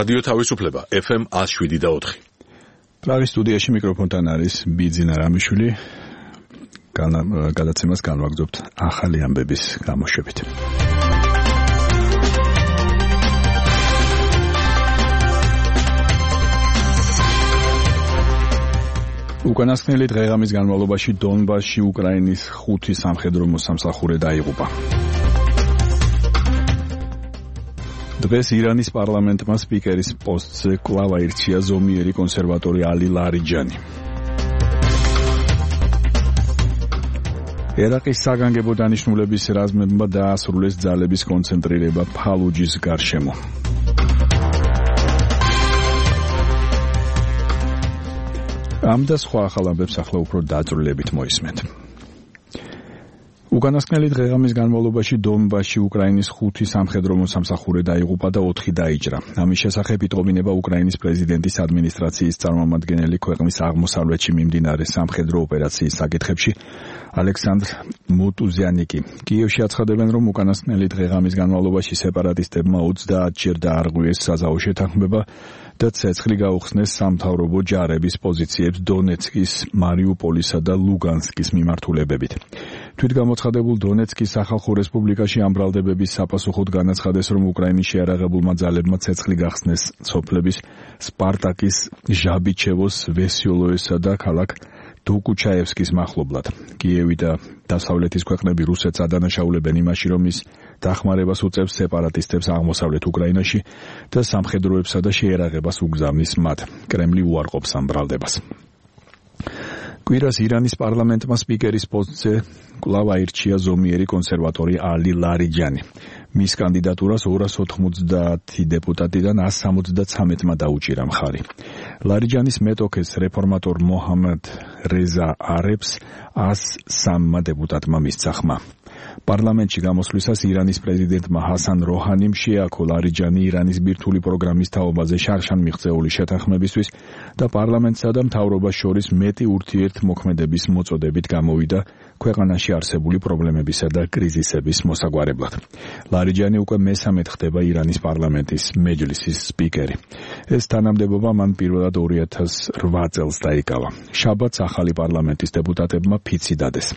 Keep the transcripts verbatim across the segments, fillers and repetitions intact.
რადიო თავისუფლება ეფ ემ one oh seven point four. პრაღის სტუდიაში მიკროფონთან არის ბიძინა რამიშვილი. გადაცემას განვაგრძობთ ახალი ამბების გამოშვებით. უკანასკნელი დღეღამის განმავლობაში დონბასში უკრაინის ხუთი სამხედრო მოსამსახურე დაიღუპა. დღეს ირანის პარლამენტმა სპიკერის პოსტზე კვლავ აირჩია ზომიერი კონსერვატორი ალი ლარიჯანი. ერაყის საგანგებო დანიშნულების რაზმებმა დაასრულეს ძალების კონცენტრირება ფალუჯის გარშემო. ამ და სხვა ახალ ამბებს ახლა უფრო დაწვრილებით მოისმენთ. უკანასკნელი დღეღამის განმავლობაში დონბასში უკრაინის ხუთი სამხედრო მოსამსახურე დაიღუპა და ოთხი დაიჭრა. ამის შესახებ იტყობინება უკრაინის პრეზიდენტის ადმინისტრაციის წარმომადგენელი ქვეყნის აღმოსავლეთში მიმდინარე სამხედრო ოპერაციის საკითხებში ალექსანდრ მუტუზიანიკი. კიევში აცხადებენ, რომ უკანასკნელი დღეღამის განმავლობაში სეპარატისტებმა ოცდაათჯერ დაარღვიეს საზავო შეთანხმება და ცეცხლი გაუხსნეს სამთავრობო ჯარების პოზიციებს დონეცკის, მარიუპოლისა და ლუგანსკის მიმართულებებით. თვითგამოცხადებულ დონეცკის სახალხო რესპუბლიკაში ამ ბრალდებების საპასუხოდ განაცხადეს, რომ უკრაინის შეარაღებულმა ძალებმა ცეცხლი გახსნეს სოფლების სპარტაკის, ჟაბიჩევოს, ვესიოლოესა და ქალაქ დუკუჩაევსკის მახლობლად. კიევი და დასავლეთის ქვეყნები რუსეთს ადანაშაულებენ იმაში, რომ ის დახმარებას უწევს სეპარატისტებს აღმოსავლეთ უკრაინაში და სამხედროებსა და შეერაღებას უგზავნის მათ. კრემლი უარყოფს ამ ბრალდებას. კვირას ირანის პარლამენტმა სპიკერის პოსტზე კვლავ აირჩია ზომიერი კონსერვატორი ალი ლარიჯანი. მის კანდიდატურას ორას ოთხმოცდაათი დეპუტატიდან ას სამოცდაცამეტმა დაუჭირა მხარი. ლარიჯანის მეტოქეს რეფორმატორ მოჰამედ რეზა არებს ას სამმა დეპუტატმა მისცა ხმა. პარლამენტში გამოსვლისას ირანის პრეზიდენტმა ჰასან როჰანიმ შეაქო ლარიჯანი ირანის ბირთვული პროგრამის თაობაზე შარშან მიღწეული შეთანხმებისთვის და პარლამენტსა და მთავრობას შორის მეტი ურთიერთმოქმედების მოწოდებით გამოვიდა ქვეყანაში არსებული პრობლემებისა და კრიზისების მოსაგვარებლად. ლარიჯანი უკვე მესამედ ხდება ირანის პარლამენტის მეჯლისის სპიკერი. ეს თანამდებობა მან პირველად ორი ათას რვა წელს დაიკავა. შაბათს ახალი პარლამენტის დეპუტატებმა ფიცი დადეს.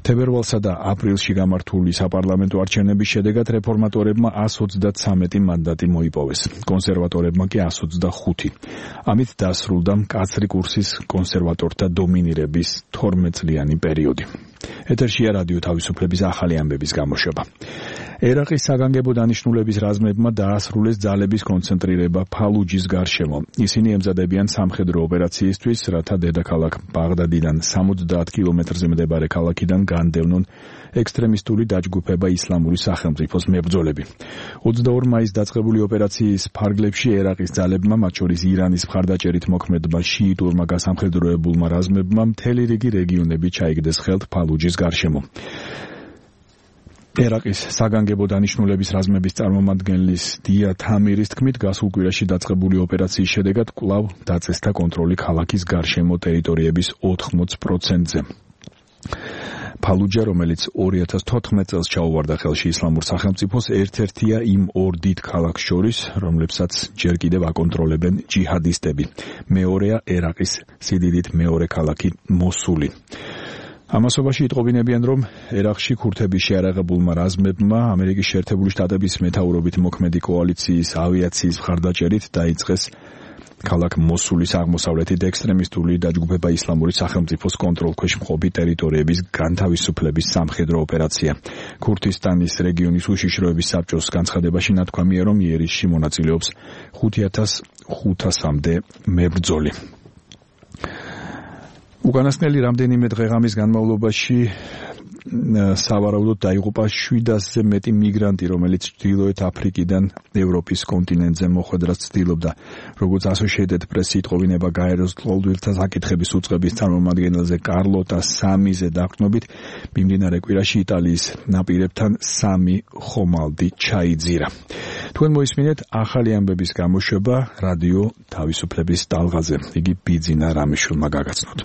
თებერვალსა და აპრილში გამართული საპარლამენტო არჩევნების შედეგად რეფორმატორებმა ას ოცდაცამეტი მანდატი მოიპოვეს, კონსერვატორებმა კი ას ოცდახუთი. ამით დასრულდა მკაცრი კურსის კონსერვატორთა დომინირების თორმეტწლიანი პერიოდი. ეთერშია რადიო თავისუფლების ახალი ამბების გამოშვება. ერაყის საგანგებო დანიშნულების რაზმებმა დაასრულეს ძალების კონცენტრირება ფალუჯის გარშემო. ისინი ემზადებიან სამხედრო ოპერაციისთვის, რათა დედაქალაქ ბაღდადიდან სამოცდაათ კილომეტრზე მდებარე ქალაქიდან განდევნონ ექსტრემისტული დაჯგუფება ისლამური სახელმწიფოს მებრძოლები. ოცდაორ მაისს დაწყებული ოპერაციის ფარგლებში ერაყის ძალებმა, მათ შორის ირანის მხარდაჭერით მოქმედმა შიიტურმა გასამხედროებულმა რაზმებმა მთელი რიგი რეგიონები ჩაიგდეს ხელთ ფალუჯის გარშემო. ერაყის საგანგებო დანიშნულების რაზმების წარმომადგენლის დია თამირის თქმით, გასულ კვირაში დაწყებული ოპერაციის შედეგად კვლავ დაწესდა კონტროლი ქალაქის გარშემო ტერიტორიების ოთხმოც პროცენტზე. ფალუჯა, რომელიც ორი ათას თოთხმეტ წელს ჩაუვარდა ხელში ისლამურ სახელმწიფოს, ერთ-ერთია იმ ორ დიდ ქალაქს შორის, რომლებსაც ჯერ კიდევ აკონტროლებენ ჯიჰადისტები. მეორეა ერაყის სიდიდით მეორე ქალაქი მოსული. ამასობაში იტყობინებიან, რომ ერაყში ქურთების შეარაღებულმა რაზმებმა ამერიკის შეერთებული შტატების მეთაურობით მოქმედი კოალიციის ავიაციის მხარდაჭერით დაიწყეს ქალაქ მოსულის აღმოსავლეთით ექსტრემისტული დაჯგუფება ისლამური სახელმწიფოს კონტროლქვეშ მყოფი ტერიტორიების განთავისუფლების სამხედრო ოპერაცია. ქურთისტანის რეგიონის უშიშროების საბჭოს განცხადებაში ნათქვამია, რომ იერიშში მონაწილეობს ხუთი ათას ხუთასამდე მებრძოლი. უკანასკნელი რამდენიმე დღეღამის განმავლობაში სავარაუდოდ დაიღუპა შვიდასზე მეტი მიგრანტი, რომელიც ჩრდილოეთ აფრიკიდან ევროპის კონტინენტზე მოხვედრას ცდილობდა. როგორც Associated Press იტყობინება გაეროს ლტოლვილთა საკითხების უწყების წარმომადგენელზე კარლოტა სამიზე დაყრდნობით, მიმდინარე კვირაში იტალიის ნაპირებთან სამი ხომალდი ჩაიძირა. თქვენ მოისმინეთ ახალი ამბების გამოშვება რადიო თავისუფლების ტალღაზე. იგი ბიძინა რამიშვილმა გაგაცნოთ.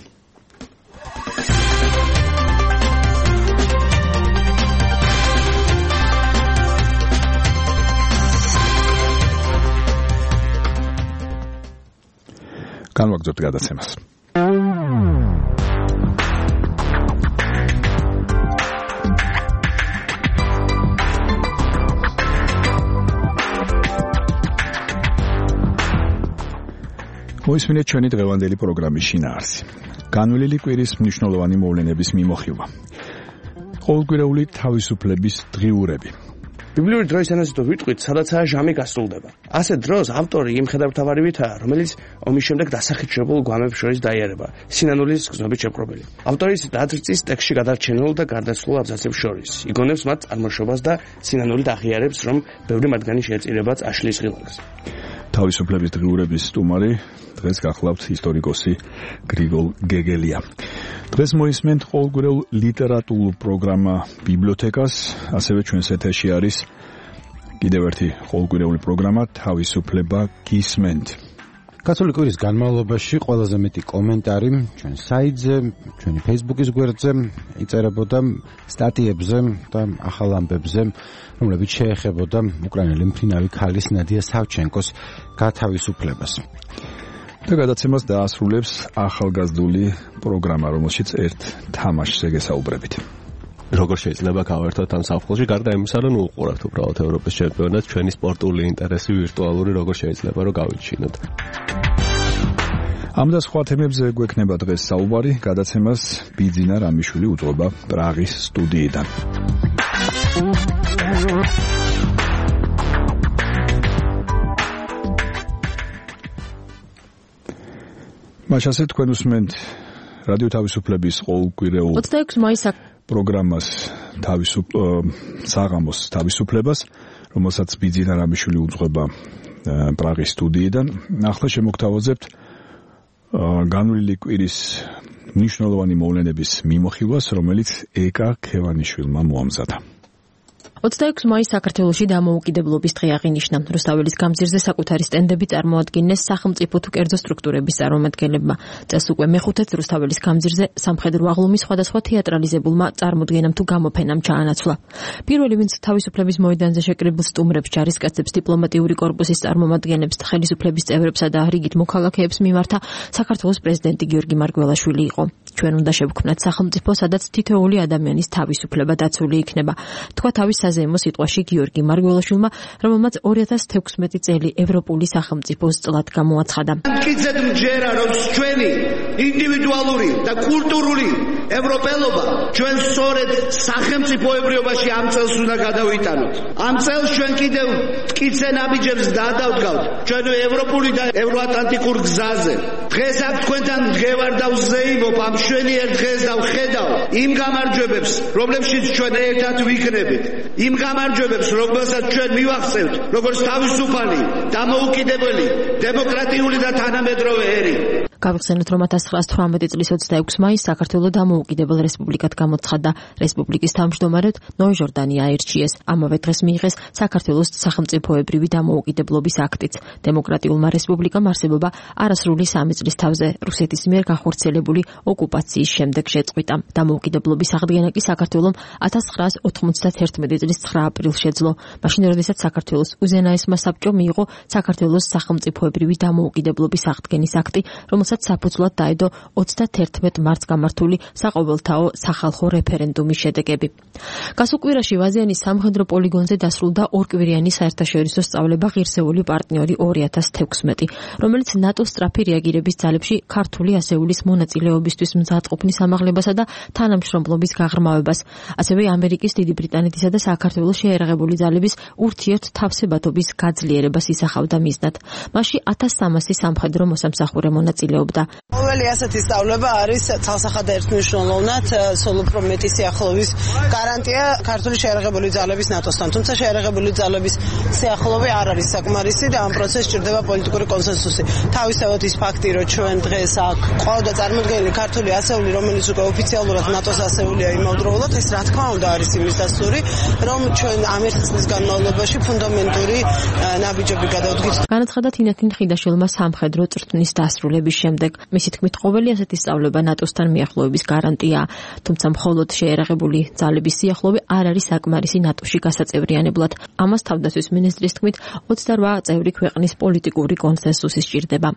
განვაგრძობთ გადაცემას. მოისმინეთ ჩვენი დღევანდელი პროგრამის შინაარსი. განვლილი კვირის მნიშვნელოვანი მოვლენების მიმოხილვა. ყოველკვირეული თავისუფლების დღიურები. ბიბლიური დროის ენაზე თუ ვიტყვით, სადაცაა ჟამი გასრულდება. ასეთ დროს ავტორი იმ ხედავთავარივითაა, რომელიც ომის შემდეგ დასახიჩრებულ გვამებს შორის დაიარება, სინანულის გზნობით შეპყრობილი. ავტორის დაწვის ტექსტში გადარჩენილ და გარდაცვლილ აბზაცებს შორის იგონებს მათ წარმოშობას და სინანულით აღიარებს, რომ ბევრი მათგანი შეეწირებაც აშლის ღილაკს. თავისუფლების დღიურების სტუმარი დღეს გახლავთ ისტორიკოსი გრიგოლ გეგელია. დღეს მოისმენთ ყოველკვირეულ ლიტერატურულ პროგრამა ბიბლიოთეკას, ასევე ჩვენს ეთერში არის კიდევ ერთი ყოველკვირეული პროგრამა თავისუფლება გისმენთ. გასული კვირის განმავლობაში ყველაზე მეტი კომენტარი ჩვენ საიტზე, ჩვენი Facebook-ის გვერდზე იწერებოდა სტატიებზე და ახალ ამბებზე, რომლებიც შეეხებოდა უკრაინელი მფრინავი ქალის ნადია სავჩენკოს გათავისუფლებას. და გადაცემას დაასრულებს ახალგაზრდული პროგრამა, რომელშიც ერთ თამაშზე გესაუბრებით. როგორ შეიძლება გავერთოთ ამ საფხულში, გარდა იმისა, რომ უყურებთ უბრალოდ ევროპის ჩემპიონატს, ჩვენი სპორტული ინტერესი ვირტუალური როგორ შეიძლება რომ გავიჩინოთ. ამ და სხვა თემებზე გვექნება დღეს საუბარი, გადაცემას ბიძინა რამიშვილი უძღვება პრაღის სტუდიიდან. მაშასე თქვენ უსმენთ რადიო თავისუფლების ყოველკვირეულ ოცდაექვსი მაისს პროგრამას თავისუფ საღამოს თავისუფლებას, რომელსაც ბიძინა რამიშვილი უძღვება პრაღის სტუდიიდან. ახლა შემოგთავაზებთ განვლილი კვირის მნიშვნელოვანი მოვლენების მიმოხილვას, რომელიც ეკა ქევანიშვილმა მოამზადა. ოცდაექვსი მაისს საქართველოში დამოუკიდებლობის დღე აღინიშნა. რუსთაველის გამზირზე საკუთარი სტენდები წარმოადგენეს სახელმწიფო თუ კერძო სტრუქტურების წარმომადგენლებმა. წელს უკვე მეხუთეც რუსთაველის გამზირზე სამხედრო აღლუმის სხვადასხვა თეატრალიზებულმა წარმოდგენამ თუ გამოფენამ ჩაანაცვლა. პირველი, ვინც თავისუფლების მოედანზე შეკრებილ სტუმრებს, ჯარისკაცებს, დიპლომატიური კორპუსის წარმომადგენლებს, ხელისუფლების წევრებსა და რიგით მოქალაქეებს მიმართა საქართველოს პრეზიდენტი გიორგი მარგველაშვილი იყო. ჩვენ უნდა შევქმნათ სახელმწიფო, სადაც თითოეული ადამიანის თავისუფლება დაცული იქნება. თქვა თავის საზეიმო სიტყვაში გიორგი მარგველაშვილმა, რომელმაც ორი ათას თექვსმეტი წელი ევროპული სახელმწიფოს წლად გამოაცხადა. მტკიცედ მჯერა, რომ ჩვენი ინდივიდუალური და კულტურული ევროპელობა ჩვენ სწორედ სახელმწიფოებრიობაში ამ წელს უნდა გადავიტანოთ. ამ წელს ჩვენ კიდევ მტკიცე ნაბიჯებს გადავდგავთ ჩვენ ევროპული და ევროატლანტიკურ გზაზე. დღეს აქ თქვენთან მდგევარ და ვზეიმობ ამ მშვენიერ დღეს და ვხედავ იმ გამარჯვებებს, რომლებშიც ჩვენ ერთად ვიქნებით. იმ გამარჯვებებს, რომელსაც ჩვენ მივახცევთ, როგორც თავისუფალი, დამოუკიდებელი, დემოკრატიული და თანამედროვე ერი. გავიხსენოთ, რომ ათას ცხრაას თვრამეტი წლის ოცდაექვსი მაისს საქართველო დამოუკიდებელ რესპუბლიკად გამოცხადდა. რესპუბლიკის თავმჯდომარედ ნოე ჟორდანი აირჩიეს. ამავე დღეს მიიღეს საქართველოს სახელმწიფოებრივი დამოუკიდებლობის აქტიც. დემოკრატიულმა რესპუბლიკამ არსებობა არასრული სამი წლის თავზე რუსეთის მიერ განხორციელებული ოკუპაციის შემდეგ შეწყვიტა. დამოუკიდებლობის აღდგენა კი საქართველომ ათას ცხრაას ოთხმოცდათერთმეტი წლის ცხრა აპრილს შეძლო. მაშინ, როდესაც საქართველოს უზენაესმა საბჭომ მიიღო საქართველოს სახელმწიფოებრივი დამოუკიდებლობის აღდგენის აქტი, რომელსაც საფუძვლად დაედო ოცდათერთმეტ მარტს გამართული საყოველთაო სახალხო რეფერენდუმის შედეგები. გასულ კვირაში ვაზიანის სამხედრო პოლიგონზე დასრულდა ორკვირიანი საერთაშორისო სწავლება ღირსეული პარტნიორი ორი ათას თექვსმეტი, რომელიც ნატოს სწრაფი რეაგირების ძალებში ქართული ასეულის მონაწილეობისთვის მზადყოფნის ამაღლებასა და თანამშრომლობის გაღრმავებას, ასევე ამერიკის, დიდი ბრიტანეთისა და საქართველოს შეერაღებული ძალების ურთიერთ თავსებათობის გაძლიერებას ისახავდა მიზნად. მასში ათას სამასი სამხედრო მოსამსახურე მონაწილეობდა. ყოველი ასეთი სწავლება არის ცალსახად ერთმნიშვნელოვნად სულ უფრო მეტი სიახლოვის გარანტია ქართული შეერაღებული ძალების ნატოსთან. თუმცა შეერაღებული ძალების სიახლოვე არ არის საკმარისი და ამ პროცესს სჭირდება პოლიტიკური კონსენსუსი. თავისთავად ის ფაქტი, რომ ჩვენ დღეს აქ ყავდა წარმოდგენილი ქართული ასეული, რომელიც უკვე ოფიციალურად ნატოს ასეულია იმავდროულად, ეს რა თქმა უნდა არის იმის დასტური, რომ ჩვენ ამ ერთი წლის განმავლობაში ფუნდამენტური ნაბიჯები გადავდგით. განაცხადა თინათინ ხიდაშვილმა სამხედრო წვრთნის დასრულების შემდეგ. შემდეგ. მისი თქმით, ყოველი ასეთი სწავლება ნატოსთან მიახლოების გარანტია, თუმცა მხოლოდ შეერაღებული ძალების სიახლოვე არ არის საკმარისი ნატოში გასაწევრიანებლად. ამას თავდაცვის მინისტრის თქმით, ოცდარვა წევრი ქვეყნის პოლიტიკური კონსენსუსი სჭირდება.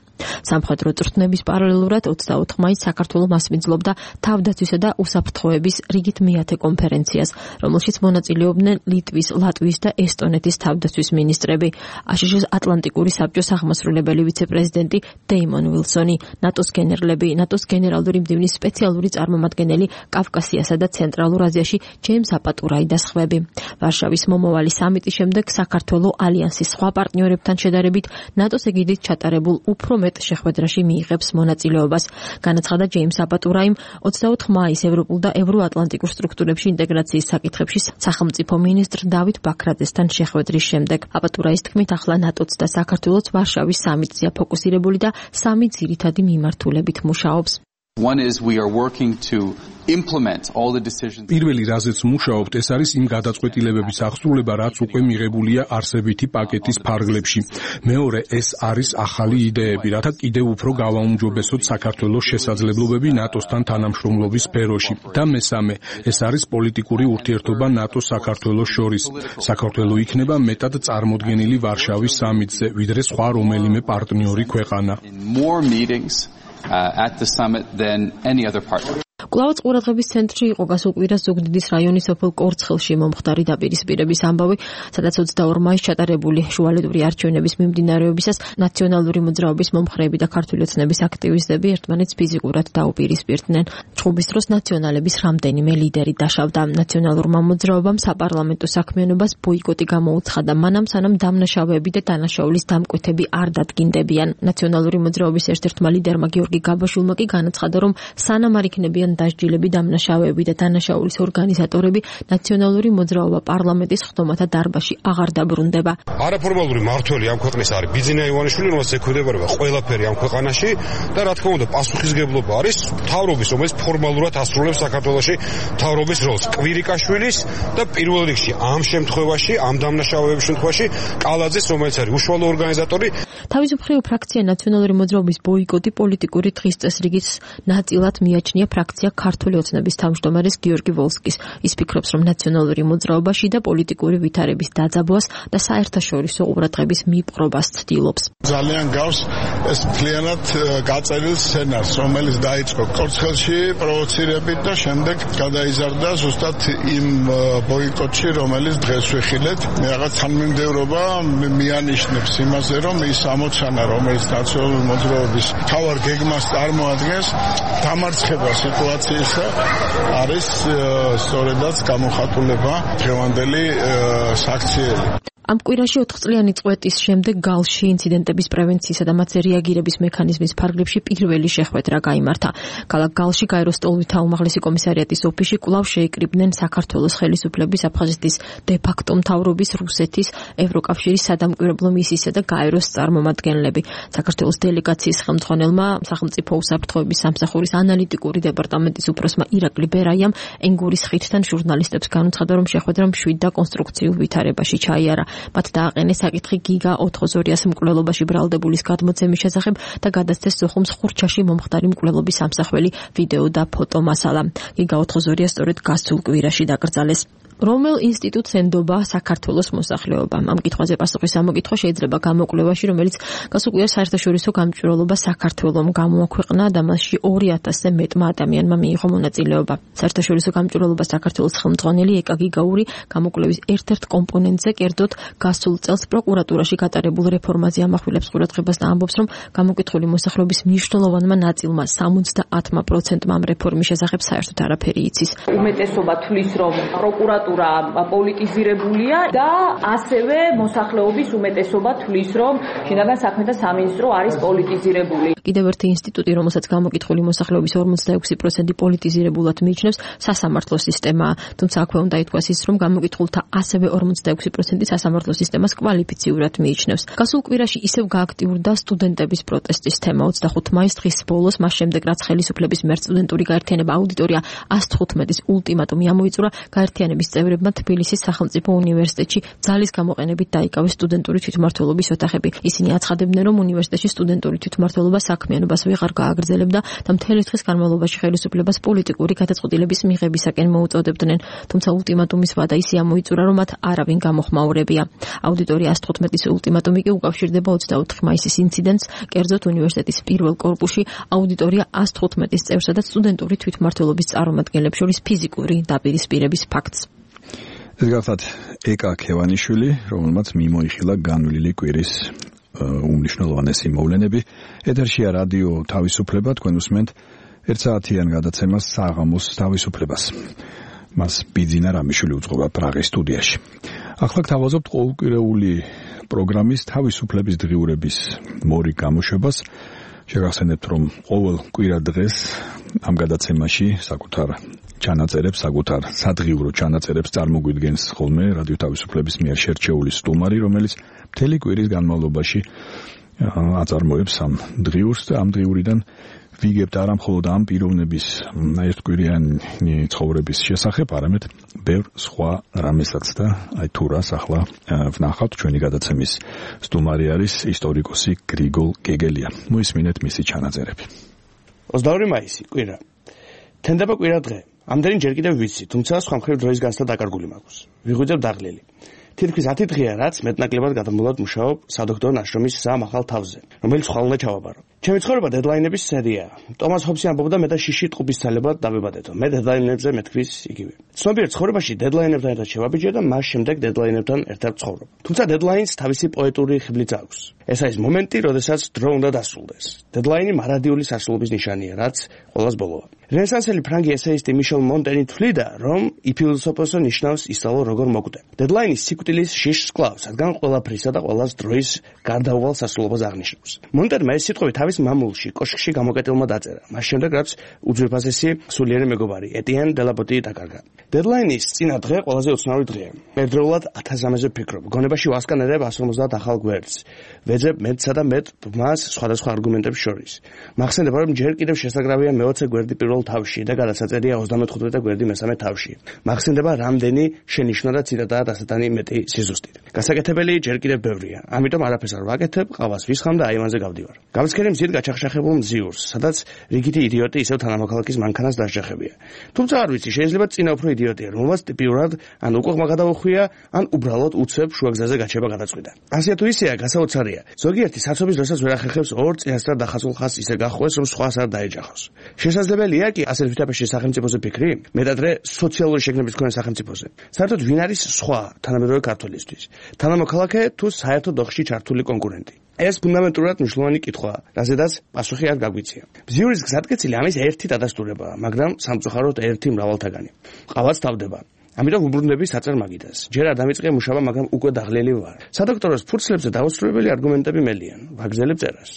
სამხედრო წვრთნების პარალელურად ოცდაოთხ მაისს საქართველო მასპინძლობდა თავდაცვისა და უსაფრთხოების რიგით მეათე კონფერენციას, რომელშიც მონაწილეობდნენ ლიტვის, ლატვიის და ესტონეთის თავდაცვის მინისტრები, აშშ-ის ატლანტიკური საბჭოს აღმასრულებელი ვიცე-პრეზიდენტი დეიმონ ვილსონი, ნატოს გენერლები, ნატოს გენერალური მდივნის სპეციალური წარმომადგენელი კავკასიასა და ცენტრალურ აზიაში ჯეიმს აპატურაი და სხვები. ვარშავის მომავალი სამიტის შემდეგ საქართველო ალიანსის სხვა პარტნიორებთან შედარებით ნატოს ეგიდით ჩატარებულ უფრო მეტ შეხვედრაში მიიღებს მონაწილეობას. განაცხადა ჯეიმს აპატურაიმ ოცდაოთხ მაისს ევროპულ და ევროატლანტიკურ სტრუქტურებში ინტეგრაციის საკითხებში სახელმწიფო მინისტრ დავით ბაქრაძესთან შეხვედრის შემდეგ. აპატურაის თქმით, ახლა ნატოც და საქართველოც ვარშავის სამიტზეა ფოკუსირებული და სამი ძირითადი მიმართულებით მუშაობს. One is we are working to implement all the decisions. პირველი რაზეც მუშაობთ, ეს არის იმ გადაწყვეტილებების აღსრულება, რაც უკვე მიღებულია არსებითი პაკეტის ფარგლებში. მეორე, ეს არის ახალი იდეები, რათა კიდევ უფრო გავაუმჯობესოთ საქართველოს შესაძლებლობები ნატოსთან თანამშრომლობის სფეროში. და მესამე, ეს არის პოლიტიკური ურთიერთობა ნატო-საქართველოს შორის. საქართველო იქნება მეტად წარმოდგენილი ვარშავის სამიტზე, ვიდრე სხვა რომელიმე პარტნიორი ქვეყანა. More meetings uh, at the summit than any other partner. კვლავაც ყურადღების ცენტრში იყო გასულკვირას ზუგდიდის რაიონის სოფელ კორცხელში მომხდარი დაპირისპირების ამბავი, სადაც ოცდაორ მაისს ჩატარებული შუალედური არჩევნების მიმდინარეობისას ნაციონალური მოძრაობის მომხრეები და ქართული ოცნების აქტივისტები ერთმანეთს ფიზიკურად დაუპირისპირდნენ. ჩხუბის დროს ნაციონალების რამდენიმე ლიდერი დაშავდა. ნაციონალურმა მოძრაობამ საპარლამენტო საქმიანობას ბოიკოტი გამოუცხადა, მანამ სანამ დამნაშავეები და დანაშაულის დამკვეთები არ დადგინდებიან. ნაციონალური მოძრაობის ერთ-ერთმა ლიდერმა გიორგი გაბაშვილმა კი განაცხადა, რომ სანამ არ იქნებიან დასჯილები დამნაშავეები და დანაშაულის ორგანიზატორები, ნაციონალური მოძრაობა პარლამენტის ხდომათა დარბაზში აღარ დაბრუნდება. არაფორმალური მმართველი ამ ქვეყნის არის ბიძინა ივანიშვილი, რომელსაც ექვემდებარება ყველაფერი ამ ქვეყანაში და რა თქმა უნდა პასუხისგებლობა არის მთავრობის, რომელიც ფორმალურად ასრულებს საქართველოში მთავრობის როლს, კვირიკაშვილის და პირველ რიგში ამ შემთხვევაში, ამ დამნაშავეების შემთხვევაში კალაძის, რომელიც არის უშუალო ორგანიზატორი. თავისუფლ ფრაქცია ნაციონალური მოძრაობის ბოიკოტი პოლიტიკური დღის წესრიგის ნაწილად მიაჩნია ფრაქცია ქართული ოცნების თავმჯდომარის გიორგი ვოლსკის. ის ფიქრობს, რომ ნაციონალური მოძრაობაში და პოლიტიკური ვითარების დაძაბვას და საერთაშორისო ყურადღების მიპყრობას ცდილობს. ძალიან გავს ეს მთლიანად გაწერილ სცენარს, რომელიც დაიწყო კორცხელში პროვოცირებით და შემდეგ გადაიზარდა ზუსტად იმ ბოიკოტში, რომელიც დღეს ვიხილეთ. მე რაღაც თანმიმდევრობა მიანიშნებს იმაზე, რომ ის ამოცანა, რომელიც ნაციონალური მოძრაობის მთავარ გეგმას წარმოადგენს, დამარცხება სიტუაციისა არის სწორედაც გამოხატულება დღევანდელი საქციელი. ამ კვირაში ოთხწლიანი წვეტის შემდეგ გალში ინციდენტების პრევენციისა და მათზე რეაგირების მექანიზმის ფარგლებში პირველი შეხვედრა გაიმართა. ქალაქ გალში გაეროს ტოლვითა უმაღლესი კომისარიატის ოფისში კვლავ შეიკრიბნენ საქართველოს ხელისუფლების, აფხაზეთის დე-ფაქტო მთავრობის, რუსეთის, ევროკავშირის სადამკვირვებლო მისიისა და გაეროს წარმომადგენლები. საქართველოს დელეგაციის ხელმძღვანელმა სახელმწიფო უსაფრთხოების სამსახურის ანალიტიკური დეპარტამენტის უფროსმა ირაკლი ბერაიამ ენგურის ხიდთან ჟურნალისტებს განუცხადა, რომ შეხვედრა მშვიდ და კონსტრუქციულ ვითარებაში ჩაიარა. მათ დააყენეს საკითხი გიგა ოთხ-ოზორიას მკვლელობაში ბრალდებულის გადმოცემის შესახებ და გადასცეს სოხუმს ხურჩაში მომხდარი მკვლელობის სამსახველი ვიდეო და ფოტო მასალა. გიგა ოთხ-ოზორია სწორედ გასულ კვირაში დაკრძალეს. რომელ ინსტიტუტს ენდობა საქართველოს მოსახლეობა? ამ კითხვაზე პასუხის ამოკითხვა შეიძლება გამოკვლევაში, რომელიც გასულ კვირას საერთაშორისო გამჭვირვალობა საქართველომ გამოაქვეყნა და მასში ორი ათასზე მეტმა ადამიანმა მიიღო მონაწილეობა. საერთაშორისო გამჭვირვალობა საქართველოს ხელმძღვანელი ეკა გიგაური გამოკვლევის ერთ-ერთ კომპონენტზე, კერძოდ გასულ წელს პროკურატურაში გატარებულ რეფორმაზე ამახვილებს ყურადღებას და ამბობს, რომ გამოკითხული მოსახლეობის მნიშვნელოვანმა ნაწილმა სამოცდაათმა პროცენტმა ამ რეფორმის შესახებ საერთოდ არაფერი იცის. უმეტესობა თვლის, რომ პროკურატურა პოლიტიზირებულია და ასევე მოსახლეობის უმეტესობა თვლის, რომ შინაგან საქმეთა სამინისტრო არის პოლიტიზირებული. კიდევ ერთი ინსტიტუტი, რომელსაც გამოკითხული მოსახლეობის ორმოცდაექვსი პროცენტი პოლიტიზირებულად მიიჩნევს, სასამართლო სისტემაა. თუმცა აქვე უნდა ითქვას ის, რომ გამოკითხულთა ასევე ორმოცდაექვსი პროცენტი სასამართლო სისტემას კვალიფიციურად მიიჩნევს. გასულ კვირაში ისევ გააქტიურდა სტუდენტების პროტესტის თემა. ოცდახუთ მაისს დღის ბოლოს, მას შემდეგ რაც ხელისუფლების მიერ სტუდენტური გაერთიანება აუდიტორია ას თხუთმეტის ულტიმატუმი ამოიწურა, გაერთიანების წევრებმა თბილისის სახელმწიფო უნივერსიტეტში ძალის გამოყენებით დაიკავეს სტუდენტური თვითმმართველობის ოთახები. ისინი აცხადებდნენ, რომ უნივერსიტეტში სტუდენტური თვითმმართველობა საქმიანობას ვეღარ გააგრძელებდა და მთელი დღის განმავლობაში ხელისუფლებას პოლიტიკური გადაწყვეტილების მიღებისაკენ მოუწოდებდნენ. თუმცა ულტიმატუმის ვადა ისე ამოიწურა, რომ მათ არავინ გამოხმაურებია. აუდიტორია sto თხუთმეტის ულტიმატუმი კი უკავშირდება ოცდაოთხი მაისის ინციდენტს, კერძოდ უნივერსიტეტის პირველ კორპუსში აუდიტორია sto თხუთმეტის წევრსა და სტუდენტური თვითმმართველობის წარმომადგენლებს შორის ფიზიკური დაპირისპირების ფაქტს. ეს გახლავთ ეკა ქევანიშვილი, რომელმაც მიმოიხილა განვლილი კვირის უმნიშვნელოვანესი მოვლენები. ეთერშია რადიო თავისუფლება, თქვენ უსმენთ ერთ საათიან გადაცემას საღამოს თავისუფლებას. მას ბიძინა რამიშვილი უძღვება პრაღის სტუდიაში. ახლა გთავაზობთ ყოველკვირეული პროგრამის თავისუფლების დღიურების მორი გამოშვებას. შეგახსენებთ, რომ ყოველ კვირა დღეს ამ გადაცემაში საკუთარ ჩანაწერებს, საკუთარ სადღიურო ჩანაწერებს წარმოგვიდგენს ხოლმე რადიო თავისუფლების მიერ შერჩეული სტუმარი, რომელიც მთელი კვირის განმავლობაში აწარმოებს ამ დღიურს და ამ დღიურიდან ვიგებთ არა მხოლოდ ამ პიროვნების ერთკვირიანი ცხოვრების შესახებ, არამედ ბევრ სხვა რამესაც და აი თუ რას ახლა ვნახავთ. ჩვენი გადაცემის სტუმარი არის ისტორიკოსი გრიგოლ გეგელია. მოისმინეთ მისი ჩანაწერები. ოცდაორი მაისი, კვირა. თენდება კვირა დღე. ამდენი ჯერ კიდევ ვიცი, თუმცა სხვა მხრივ დროის განცდა დაკარგული მაქვს. ვიღვიძებ დაღლილი. თითქმის ათი დღეა, რაც მეტნაკლებად გადამულად მუშაობ სადოქტორო ნაშრომის სამ ახალ თავზე, რომელიც ხვალ უნდა ჩავაბარო. ჩემი ცხოვრება დედლაინების სერიაა. ტომას ჰობსი ამბობდა, მე და შიში ტყუპის ძალებად დავებადეთო. მე დედლაინებზე მეთქვის იგივე. ცნობიერ ცხოვრებაში დედლაინებთან ერთად შევაბიჯე და მას შემდეგ დედლაინებთან ერთად ვცხოვრობ. თუმცა დედლაინს თავისი პოეტური ხიბლიც აქვს. ეს არის მომენტი, როდესაც დრო უნდა დასრულდეს. დედლაინი მარადიული სასრულობის ნიშანია, რაც ყველას ბოლოა. რენესანსელი ფრანგი ესეისტი მიშელ მონტენი თვლიდა, რომ იფილოსოფოსო ნიშნავს ისწავლო როგორ მოკვდე. დედლაინის სიკვდილის შიშს კლავს, რადგან ყველაფრისა და ყველას დროის გარდაუვალ სასრულობას აღნიშნავს. მონტერმა ეს სიტყვები თავის მამულში, კოშკში გამოკეტილმა დაწერა. მას შემდეგ, რაც უძვირფასესი სულიერი მეგობარი, ეტიან დელაბოტი დაკარგა. დედლაინის წინა დღე ყველაზე უცნაური დღეა. ერთდროულად ათასამეზე ვფიქრობ. გონებაში ვასკანერებ ას ორმოცდაათ ახალ გვერდს. ვეძებ მეტსა და მეტ ბმას სხვადასხვა არგუმენტების შორის. მახსენდება, რომ ჯერ კიდევ შესაძლებელია მეოცე გვერდი პირველ თავში და გადასაწერია ოცდამეთხუთმეტე გვერდი მესამე თავში. მახსენდება, რამდენი შენიშვნა და ციტატაა დასატანი მეტი სიზუსტით. გასაკეთებელი ჯერ კიდევ ბევრია. ამიტომ არაფერს არ ვაკეთებ, ყავას ვისხამ და აივანზე გავდივარ. გავსკერე მზით გაჩახშახებულ მზიურს, სადაც რიგითი იდიოტი ისევ თანამოქალაქის მანქანას დასჯახებია. თუმცა არ ვიცი, შეიძლება წინა უფრო იდიოტია, რომელსაც ტიპიურად ან უკუღმა გადაუხვია, ან უბრალოდ უცებ შუაგზაზე გაჩება გადაწყვიტა. ასე თუ ისეა, გასაოცარია. ზოგიერთი საცობის დროსაც ვერ ახერხებს ორ წინასწარ დახაზულ ხაზს ისე გახვეს, რომ სხვას არ დაეჯახოს. შესაძლებელია კი ასე თვითაფერში სახელმწიფოზე ფიქრი, მეტადრე სოციალური შეგნების მქონე სახელმწიფოზე. საერთოდ ვინ არის სხვა თანამედროვე ქართველისთვის? თანამოქალაქე თუ საერთოდ ოხში ჩართული კონკურენტი? ეს ფუნდამენტურად მნიშვნელოვანი კითხვაა, რაზედაც პასუხი არ გაგვიცია. ბზიურის გზატკეცილი ამის ერთი დადასტურებაა, მაგრამ სამწუხაროდ ერთი მრავალთაგანი. ყავაც თავდება. ამიტომ უბრუნდები საწერ მაგიდას. ჯერ არ დამიწყე მუშაობა, მაგრამ უკვე დაღლილი ვარ. სადოქტოროს ფურცლებზე დაუსრულებელი არგუმენტები მელიან. ვაგრძელებ წერას.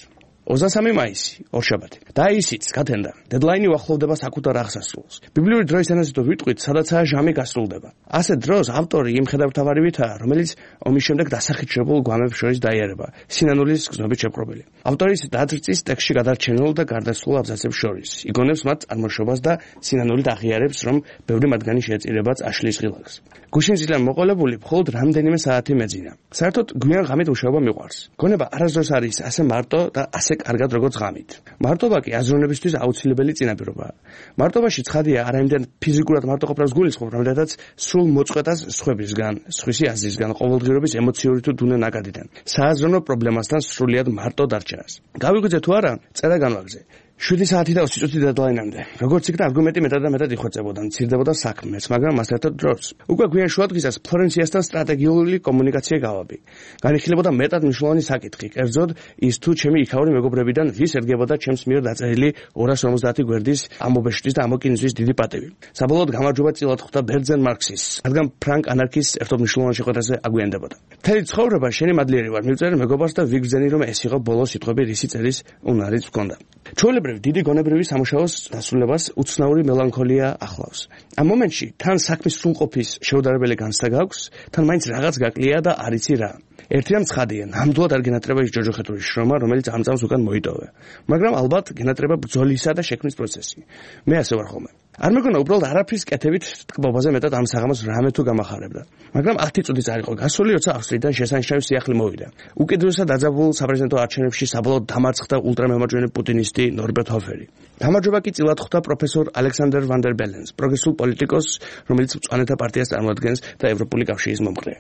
ოცდასამი მაისი, ორშაბათი. და ისიც გათენდა. დედლაინი უახლოვდება საკუთარ აღსასრულს. ბიბლიური დროის ენაზე თუ ვიტყვით, სადაცაა ჟამი გასრულდება. ასე დროს ავტორი იმ ხედავთავარივითაა, რომელიც ომის შემდეგ დასახიჩრებულ გვამებს შორის დაიარება, სინანულის გზნობით შეპყრობილი. ავტორის დაძრწის ტექსტში გადარჩენილ და გარდაცვლილ აბზაცებს შორის იგონებს მათ წარმოშობას და სინანულით აღიარებს, რომ ბევრი მათგანი შეეწირება აშლის ღილაკს. გუშინზიდან მოყოლებული მხოლოდ რამდენიმე საათი მეძინა. საერთოდ გვიან ღამით მუშაობა მიყვარს. გონება არასდროს არის ასე მარტო და ასე კარგად როგორც ღამით. მარტობა კი აზროვნებისთვის აუცილებელი წინაპირობაა. მარტობაში ცხადია არა იმდენ ფიზიკურად მარტო ყოფნას გულისხმობ, რამდენადაც სრულ მოწყვეტას სხვებისგან, სხვისი აზრისგან, ყოველდღიურობის ემოციური თუ დუნე ნაკადიდან, სააზროვნო პრობლემასთან სრულიად მარტო დარჩენას. გავიღვიძე თუ არა, წერა განვაგრძე. შვიდი საათი და ოცი წუთი დედლაინამდე. როგორც იქნა არგუმენტი მეტად და მეტად იხვეწებოდა, მცირდებოდა საქმეც, მაგრამ მას ერთად დროს. უკვე გვიან შუადღისას ფლორენციასთან სტრატეგიული კომუნიკაცია გავაბი. განიხილებოდა მეტად მნიშვნელოვანი საკითხი, კერძოდ ის თუ ჩემი იქაური მეგობრებიდან ვის ერგებოდა ჩემს მიერ დაწერილი ორას ორმოცდაათი გვერდის ამობეშტვის და ამოკინზვის დიდი პატივი. საბოლოოდ გამარჯვება წილად ხვდა ბერძენ მარქსის, რადგან ფრანკ ანარქის ერთობ მნიშვნელოვან შეხვედრაზე აგვიანდებოდა. მთელი ცხოვრება შენი მადლიერი ვარ, მივწერე მეგობარს და ვიგრძენი, რომ ეს იყო ბოლო სიტყვები, რისი წერის უნარიც ვქონდა. ჩვეულებრივ დიდი გონებრივი სამუშაოს დასრულებას უცნაური მელანქოლია ახლავს. ამ მომენტში თან საქმის სრულყოფის შეუდარებელი განცდა გაქვს, თან მაინც რაღაც გაკლია და არ იცი რა. ერთი რამ ცხადია, ნამდვილად არ გენატრება ის ჯოჯოხეთური შრომა, რომელიც ამ წამს უკან მოიტოვე. მაგრამ ალბათ გენატრება ბრძოლისა და შექმნის პროცესი. მე ასე ვარ ხოლმე. არ მეგონა უბრალოდ არაფრის კეთებით ტკბობაზე მეტად ამ საღამოს რამე თუ გამახარებდა. მაგრამ ათი წუთიც არ იყო გასული, როცა ავსტრიიდან შესანიშნავი სიახლე მოვიდა. უკიდურესად დაძაბულ საპრეზიდენტო არჩევნებში საბოლოოდ დამარცხდა ულტრამემარჯვენე პუტინისტი ნორბერტ ჰოფერი. გამარჯვება კი წილად ხვდა პროფესორ ალექსანდერ ვან დერ ბელენს, პროგრესულ პოლიტიკოსს, რომელიც მწვანეთა პარტიას წარმოადგენს და ევროპული კავშირის მომხრე.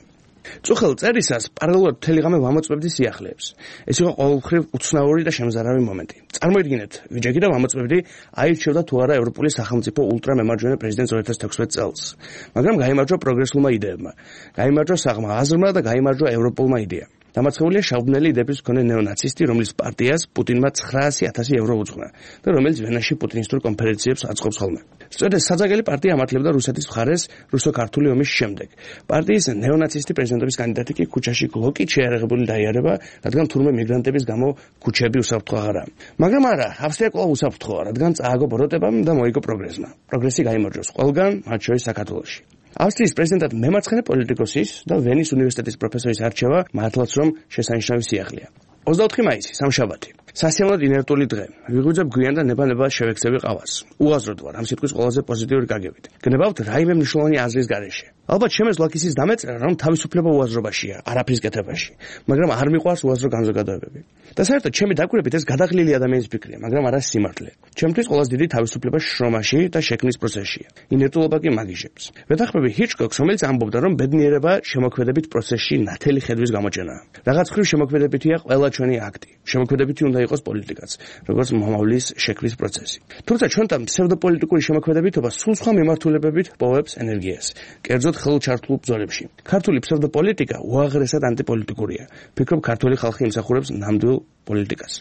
წუხელ წერისას პარალელურად მთელი ღამე ვამოწმებდი სიახლეებს. ეს იყო ყოველმხრივ უცნაური და შემზარავი მომენტი. წარმოიდგინეთ, ვიჯექი და ვამოწმებდი აირჩევდა თუ არა ევროპული სახელმწიფო ულტრამემარჯვენე პრეზიდენტს ორი ათას თექვსმეტ წელს. მაგრამ გაიმარჯვა პროგრესულმა იდეებმა, გაიმარჯვა საღმა აზრმა და გაიმარჯვა ევროპულმა იდეამ. დამარცხებულია შავბნელი იდეების მქონე ნეონაცისტი, რომლის პარტიას პუტინმა ცხრაასი ათასი ევრო უძღვნა და რომელიც ვენაში პუტინისტურ კონფერენციებს აწყობს ხოლმე. სწორედ საძაგელი პარტია ამართლებდა რუსეთის მხარეს რუსო-ქართული ომის შემდეგ. პარტიის ნეონაცისტი პრეზიდენტობის კანდიდატი კი ქუჩაში გლოკით შეიარაღებული დაიარება, რადგან თურმე მიგრანტების გამო ქუჩები უსაფრთხო აღარა. მაგრამ არა, ავსტრია კვლავ უსაფრთხოა, რადგან წააგო ბოროტებამ და მოიგო პროგრესმა. პროგრესი გაიმარჯვეს ყველგან, მათ შორის საქართველოში. ავსტრიის პრეზიდენტად მემარცხენე პოლიტიკოსის და ვენის უნივერსიტეტის პროფესორის არჩევა მართლაც რომ შესანიშნავი სიახლეა. ოცდაოთხი მაისი, სამშაბათი. სასიამოვნოდ ინერტული დღე. ვიღვიძებ გვიან და ნება-ნება შევექცევი ყავას. უაზროდ ვარ ამ სიტყვის ყველაზე პოზიტიური გაგებით. გნებავთ რაიმე მნიშვნელოვანი აზრის გარეშე. ალბათ შემეძლო ისის დამეწერა, რომ თავისუფლება უაზრობაშია, არაფრის კეთებაში, მაგრამ არ მიყვარს უაზრო განზოგადოებები. და საერთოდ ჩემი დაკვირებით ეს გადაღლილი ადამიანის ფიქრია, მაგრამ არა სიმართლე. ჩემთვის ყველაზე დიდი თავისუფლება შრომაში და შექმნის პროცესშია. ინერტულობა კი მაგიჟებს. ვეთანხმები ჰიჩკოკს, რომელიც ამბობდა, რომ ბედნიერება შემოქმედებით პროცესში ნათელი ხედვის გამოჩენაა. რაღაც ხრივ შემოქმედებითია ყველა ჩვენი აქტი. შემოქმედებითი უნდა იყოს პოლიტიკაც, როგორც მომავლის შექმნის პროცესი. თუმცა ჩვენთან ფსევდოპოლიტიკური შემოქმედებითობა სულ სხვა მიმართულებებით პოვებს ენერგიას. კერძოდ ხელჩართულ ბრძოლებში. ქართული ფსევდოპოლიტიკა უაღრესად ანტიპოლიტიკურია. ფიქრობ, ქართული ხალხი იმსახურებს ნამდვილ პოლიტიკას.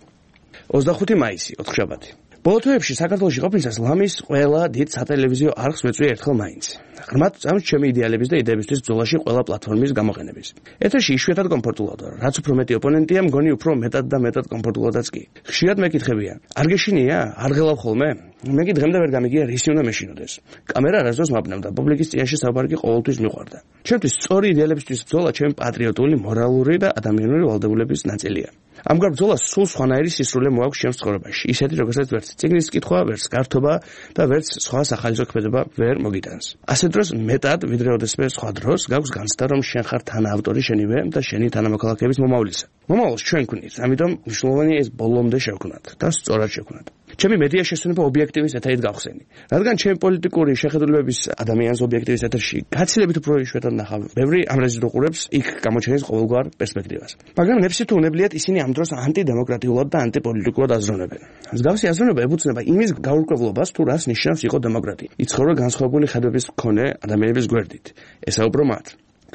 ოცდახუთი მაისი, ოთხშაბათი. ბოლო თვეებში საქართველოში ყოფნისას ლამის ყველა დიდ სატელევიზიო არხს ვეწვია ერთხელ მაინც. ღრმად წამს ჩემი იდეალების და იდეებისთვის ბრძოლაში ყველა პლატფორმის გამოყენების. ეთერში იშვიათად კომფორტულად ვარ, რაც უფრო მეტი ოპონენტია, მგონი უფრო მეტად და მეტად კომფორტულადაც კი. ხშირად მეკითხებია, არ გეშინია, არ ღელავ ხოლმე? მე კი დღემდე ვერ გამიგია, რისი უნდა მეშინოდეს. კამერა არასდროს მაბნევდა, პუბლიკის წინაშე საუბარი კი ყოველთვის მიყვარდა. ჩემთვის სწორი იდეალებისთვის ბრძოლა ჩემი პატრიოტული, მორალური და ადამიანური ვალდებულების ნაწილია. ამგვარ ბრძოლას სულ სხვანაირი სისრულე მოაქვს ჩემს ცხოვრებაში. ისეთი, როგორცაც ვერც წიგნის კითხვა, ვერც გართობა და ვერც სხვა სახალისო ქმედება ვერ მოგიტანს. ასე დროს მეტად, ვიდრე ოდესმე სხვა დროს, გაქვს განცდა, რომ შენ ხარ თანაავტორი შენივე და შენი თანამოქალაქეების მომავლისა. მომავალს ჩვენ გვქნით, ამიტომ მნიშვნელოვანია ეს ბოლომდე შევქმნათ და სწორად შევქმნათ. ჩემი მედია შესვენება ობიექტივის ეთერით გავხსენი. რადგან ჩემი პოლიტიკური შეხედულებების ადამიანს ობიექტივის ეთერში გაცილებით უფრო იშვიათად ნახავ, ბევრი ამ რეზიდ უყურებს იქ გამოჩენის ყოველგვარ პერსპექტივას. მაგრამ ნებსი თუ უნებლიეთ ისინი ამ დროს ანტიდემოკრატიულად და ანტიპოლიტიკურად აზროვნებენ. მსგავსი აზროვნება ებუცნება იმის გაურკვევლობას, თუ რას ნიშნავს იყო დემოკრატია. იცხოვრა განსხვავებული ხედვების მქონე ადამიანების გვერდით. ესაუბრო მათ.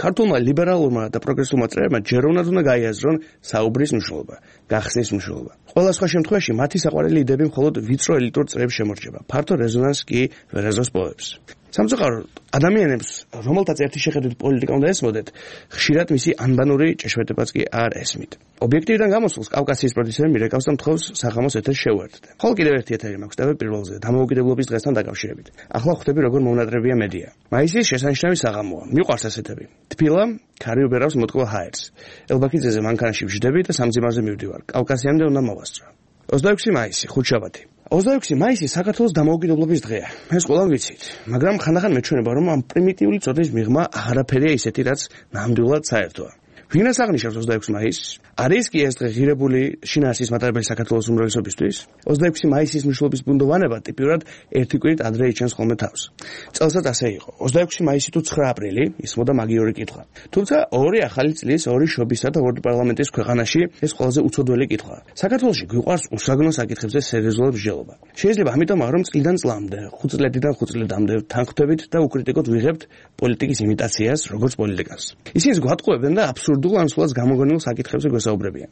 ქართულმა ლიბერალურმა და პროგრესულმა წრეებმა ჯეროვნად უნდა გაიაზრონ საუბრის მნიშვნელობა, გახსნის მნიშვნელობა. ყველა სხვა შემთხვევაში მათი საყვარელი იდეები მხოლოდ ვიწრო ელიტურ წრეებს შემორჩება. ფართო რეზონანსს კი ვერაზოს პოვებს. სამწუხაროდ, ადამიანებს, რომელთაც ერთი შეხედვით პოლიტიკა უნდა ესმოდეთ, ხშირად მისი ანბანური ჭეშმარიტებაც კი არ ესმით. ობიექტივიდან გამოსულს კავკასიის პროდიუსერი მირეკავს და მთხოვს საღამოს ეთერს შევუერთდე. ხოლო კიდევ ერთი ეთერი მაქვს და პირველზე დამოუკიდებლობის დღესთან დაკავშირებით. ახლა ხვდები როგორ მოუნატრებია მედია. მაისის შესანიშნავი საღამოა. მიყვარს ასეთები. თბილა ქარი უბერავს მოტკბილ ჰაერს. ელბაქიძეზე მანქანაში ვждები და სამძიმარზე მივდივარ. კავკასიამდე უნდა მოვასწრო. ოცდაექვსი მაისი, ხუთშაბათი. ოცდაექვსი მაისი საქართველოს დამოუკიდებლობის დღეა. ეს ყველამ ვიცით, მაგრამ ხანდახან მეჩვენება, რომ ამ პრიმიტიული წოდის მიღმა აღარაფერია ისეთი, რაც ნამდვილად საერთოა. ვინას აღნიშნავს ოცდაექვსი მაისს? არის კი ეს დღე ღირებული შინაარსის მატარებელი საქართველოს უმრავლესობისთვის? ოცდაექვსი მაისის მნიშვნელობის ბუნდოვანება ტიპიურად ერთი კვირით ადრე იჩენს ხოლმე თავს. წელსაც ასე იყო. ოცდაექვსი მაისი თუ ცხრა აპრილი ისმოდა მაგიური კითხვა. თუმცა ორი ახალი წლის, ორი შობისა და ორი პარლამენტის ქვეყანაში ეს ყველაზე უცოდველი კითხვაა. საქართველოში გვიყვარს უსაგნო საკითხებზე სერიოზულად მსჯელობა. შეიძლება ამიტომ რომ წლიდან წლამდე, ხუთ წლედიდან ხუთ წლედამდე თანხმდებით და უკრიტიკოდ ვიღებთ პოლიტიკის იმიტაციას, როგორც პოლიტიკას. ისინი გვატყუებენ და აბსურდულ ან სულაც გამოგონილ საკითხებზე გვესაუბრებიან.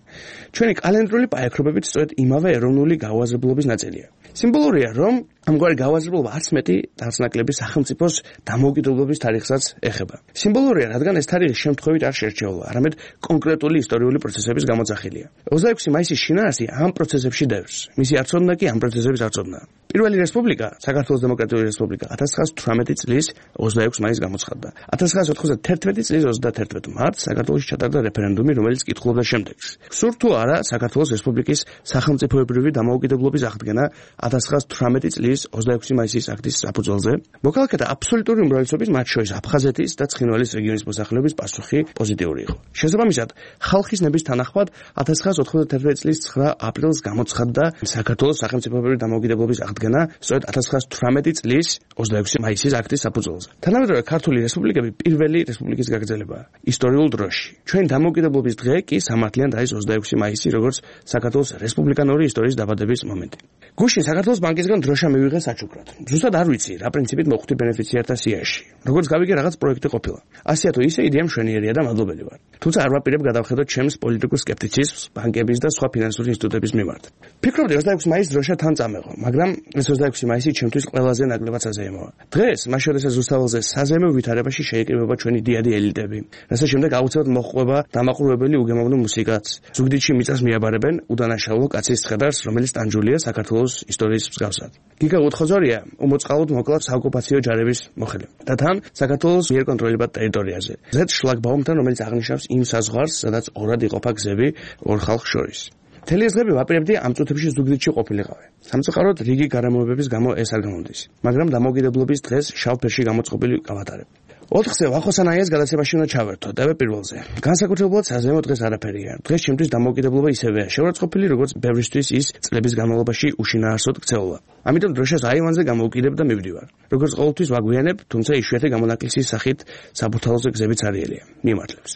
ჩვენი კალენდრული პაექრობებით სწორედ იმავე ეროვნული გაუაზრებლობის ნაწილია. სიმბოლურია, რომ ამგვარი გაუაზრებლობა არც მეტი არც ნაკლები სახელმწიფოს დამოუკიდებლობის თარიღსაც ეხება. სიმბოლურია, რადგან ეს თარიღი შემთხვევით არ შერჩეულა, არამედ კონკრეტული ისტორიული პროცესების გამოძახილია. ოცდაექვსი მაისის შინაარსი ამ პროცესებში დევს. მისი არწოდნა კი ამ პროცესების არწოდნაა. პირველი რესპუბლიკა, საქართველოს დემოკრატიული რესპუბლიკა ათას ცხრაასი თვრამეტი წლის ოცდაექვსი მაისს გამოცხადდა. ათას ცხრაასი ოთხმოცდათერთმეტი წლის ოცდათერთმეტ მარტს საქართველოში ჩატარდა რეფერენდუმი, რომელიც კითხულობდა შემდეგს: სურთ თუ არა საქართველოს რესპუბლიკის სახელმწიფოებრივი დამოუკიდებლობის აღდგენა ათას ცხრაასი თვრამეტი წლის რესპუბლიკის ოცდაექვსი მაისის აქტის საფუძველზე. მოქალაქეთა აბსოლუტური უმრავლესობის, მათ შორის აფხაზეთის და ცხინვალის რეგიონის მოსახლეობის პასუხი პოზიტიური იყო. შესაბამისად, ხალხის ნების თანახმად ათას ცხრაასი ოთხმოცდათერთმეტი წლის ცხრა აპრილს გამოცხადდა საქართველოს სახელმწიფოებრივი დამოუკიდებლობის აღდგენა სწორედ ათას ცხრაასი თვრამეტი წლის ოცდაექვსი მაისის აქტის საფუძველზე. თანამედროვე ქართული რესპუბლიკები პირველი რესპუბლიკის გაგრძელებაა ისტორიულ დროში. ჩვენი დამოუკიდებლობის დღე კი სამართლიანად არის ოცდაექვსი მაისი, როგორც საქართველოს რესპუბლიკანური ისტორიის დაბადების მომენტი. გუშინ საქართველოს ბანკისგან დროშა მივიღეს საჩუქრად. ზუსტად არ ვიცი, რა პრინციპით მოხვდი ბენეფიციართა სიაში. როგორც გავიგე, რაღაც პროექტი ყოფილა. ასეა თუ ისე იდეა მშვენიერია და მადლობელი ვარ. თუმცა არ ვაპირებ გადავხედოთ ჩემს პოლიტიკურ სკეპტიციზმს ბანკების და სხვა ფინანსური ინსტიტუტების მიმართ. ფიქრობდი ოცდაექვსი მაისს დროშა თან წამეღო, მაგრამ ეს ოცდაექვსი მაისი ჩემთვის ყველაზე ნაკლებად საზეიმოა. დღეს, მას შორისაც რუსთაველზე საზეიმო ვითარებაში შეიკრიბება ჩვენი დიადი ელიტები, რასაც შემდეგ აუცილებლად მოჰყვება დამაყურებელი უგემოვნო მუსიკაც. ზუგდიდში მიწას მიაბარებენ უდანაშაულო კაცის ცხედარს, რომელიც ტანჯულია საქართველოს ისტორიის მსგავსად. გიგა უთხოძორია უმოწყალოდ მოკლა საოკუპაციო ჯარების მოხელე და თან საქართველოს მიერ კონტროლებად ტერიტორიაზე. ზედ შლაგბაუმთან, რომელიც აღნიშნავს იმ საზღვარს, სადაც ორად იყოფა გზები ორ ხალხს შორის. მთელი ეს დღები ვაპირებდი ამ წუთებში ზუგდიდში ყოფილიყავი. სამწუხაროდ რიგი გარემოებების გამო ეს არ გამოდის, მაგრამ დამოუკიდებლობის დღეს შავ ფერში გამოწყობილი გავატარებ. ოთხზე ვახოსანაიას გადაცემაში უნდა ჩავერთო და პირველზე. განსაკუთრებულად საზეიმო დღეს არაფერია. დღეს ჩემთვის დამოუკიდებლობა ისევეა შეურაცხყოფილი, როგორც ბევრისთვის ის წლების განმავლობაში უშინაარსოდ ქცეულა. ამიტომ დროშას აივანზე გამოვკიდებ და მივდივარ. როგორც ყოველთვის ვაგვიანებ, თუმცა იშვიათი გამონაკლისის სახით საბურთალოზე გზებიც არიელია. მიმართლებს.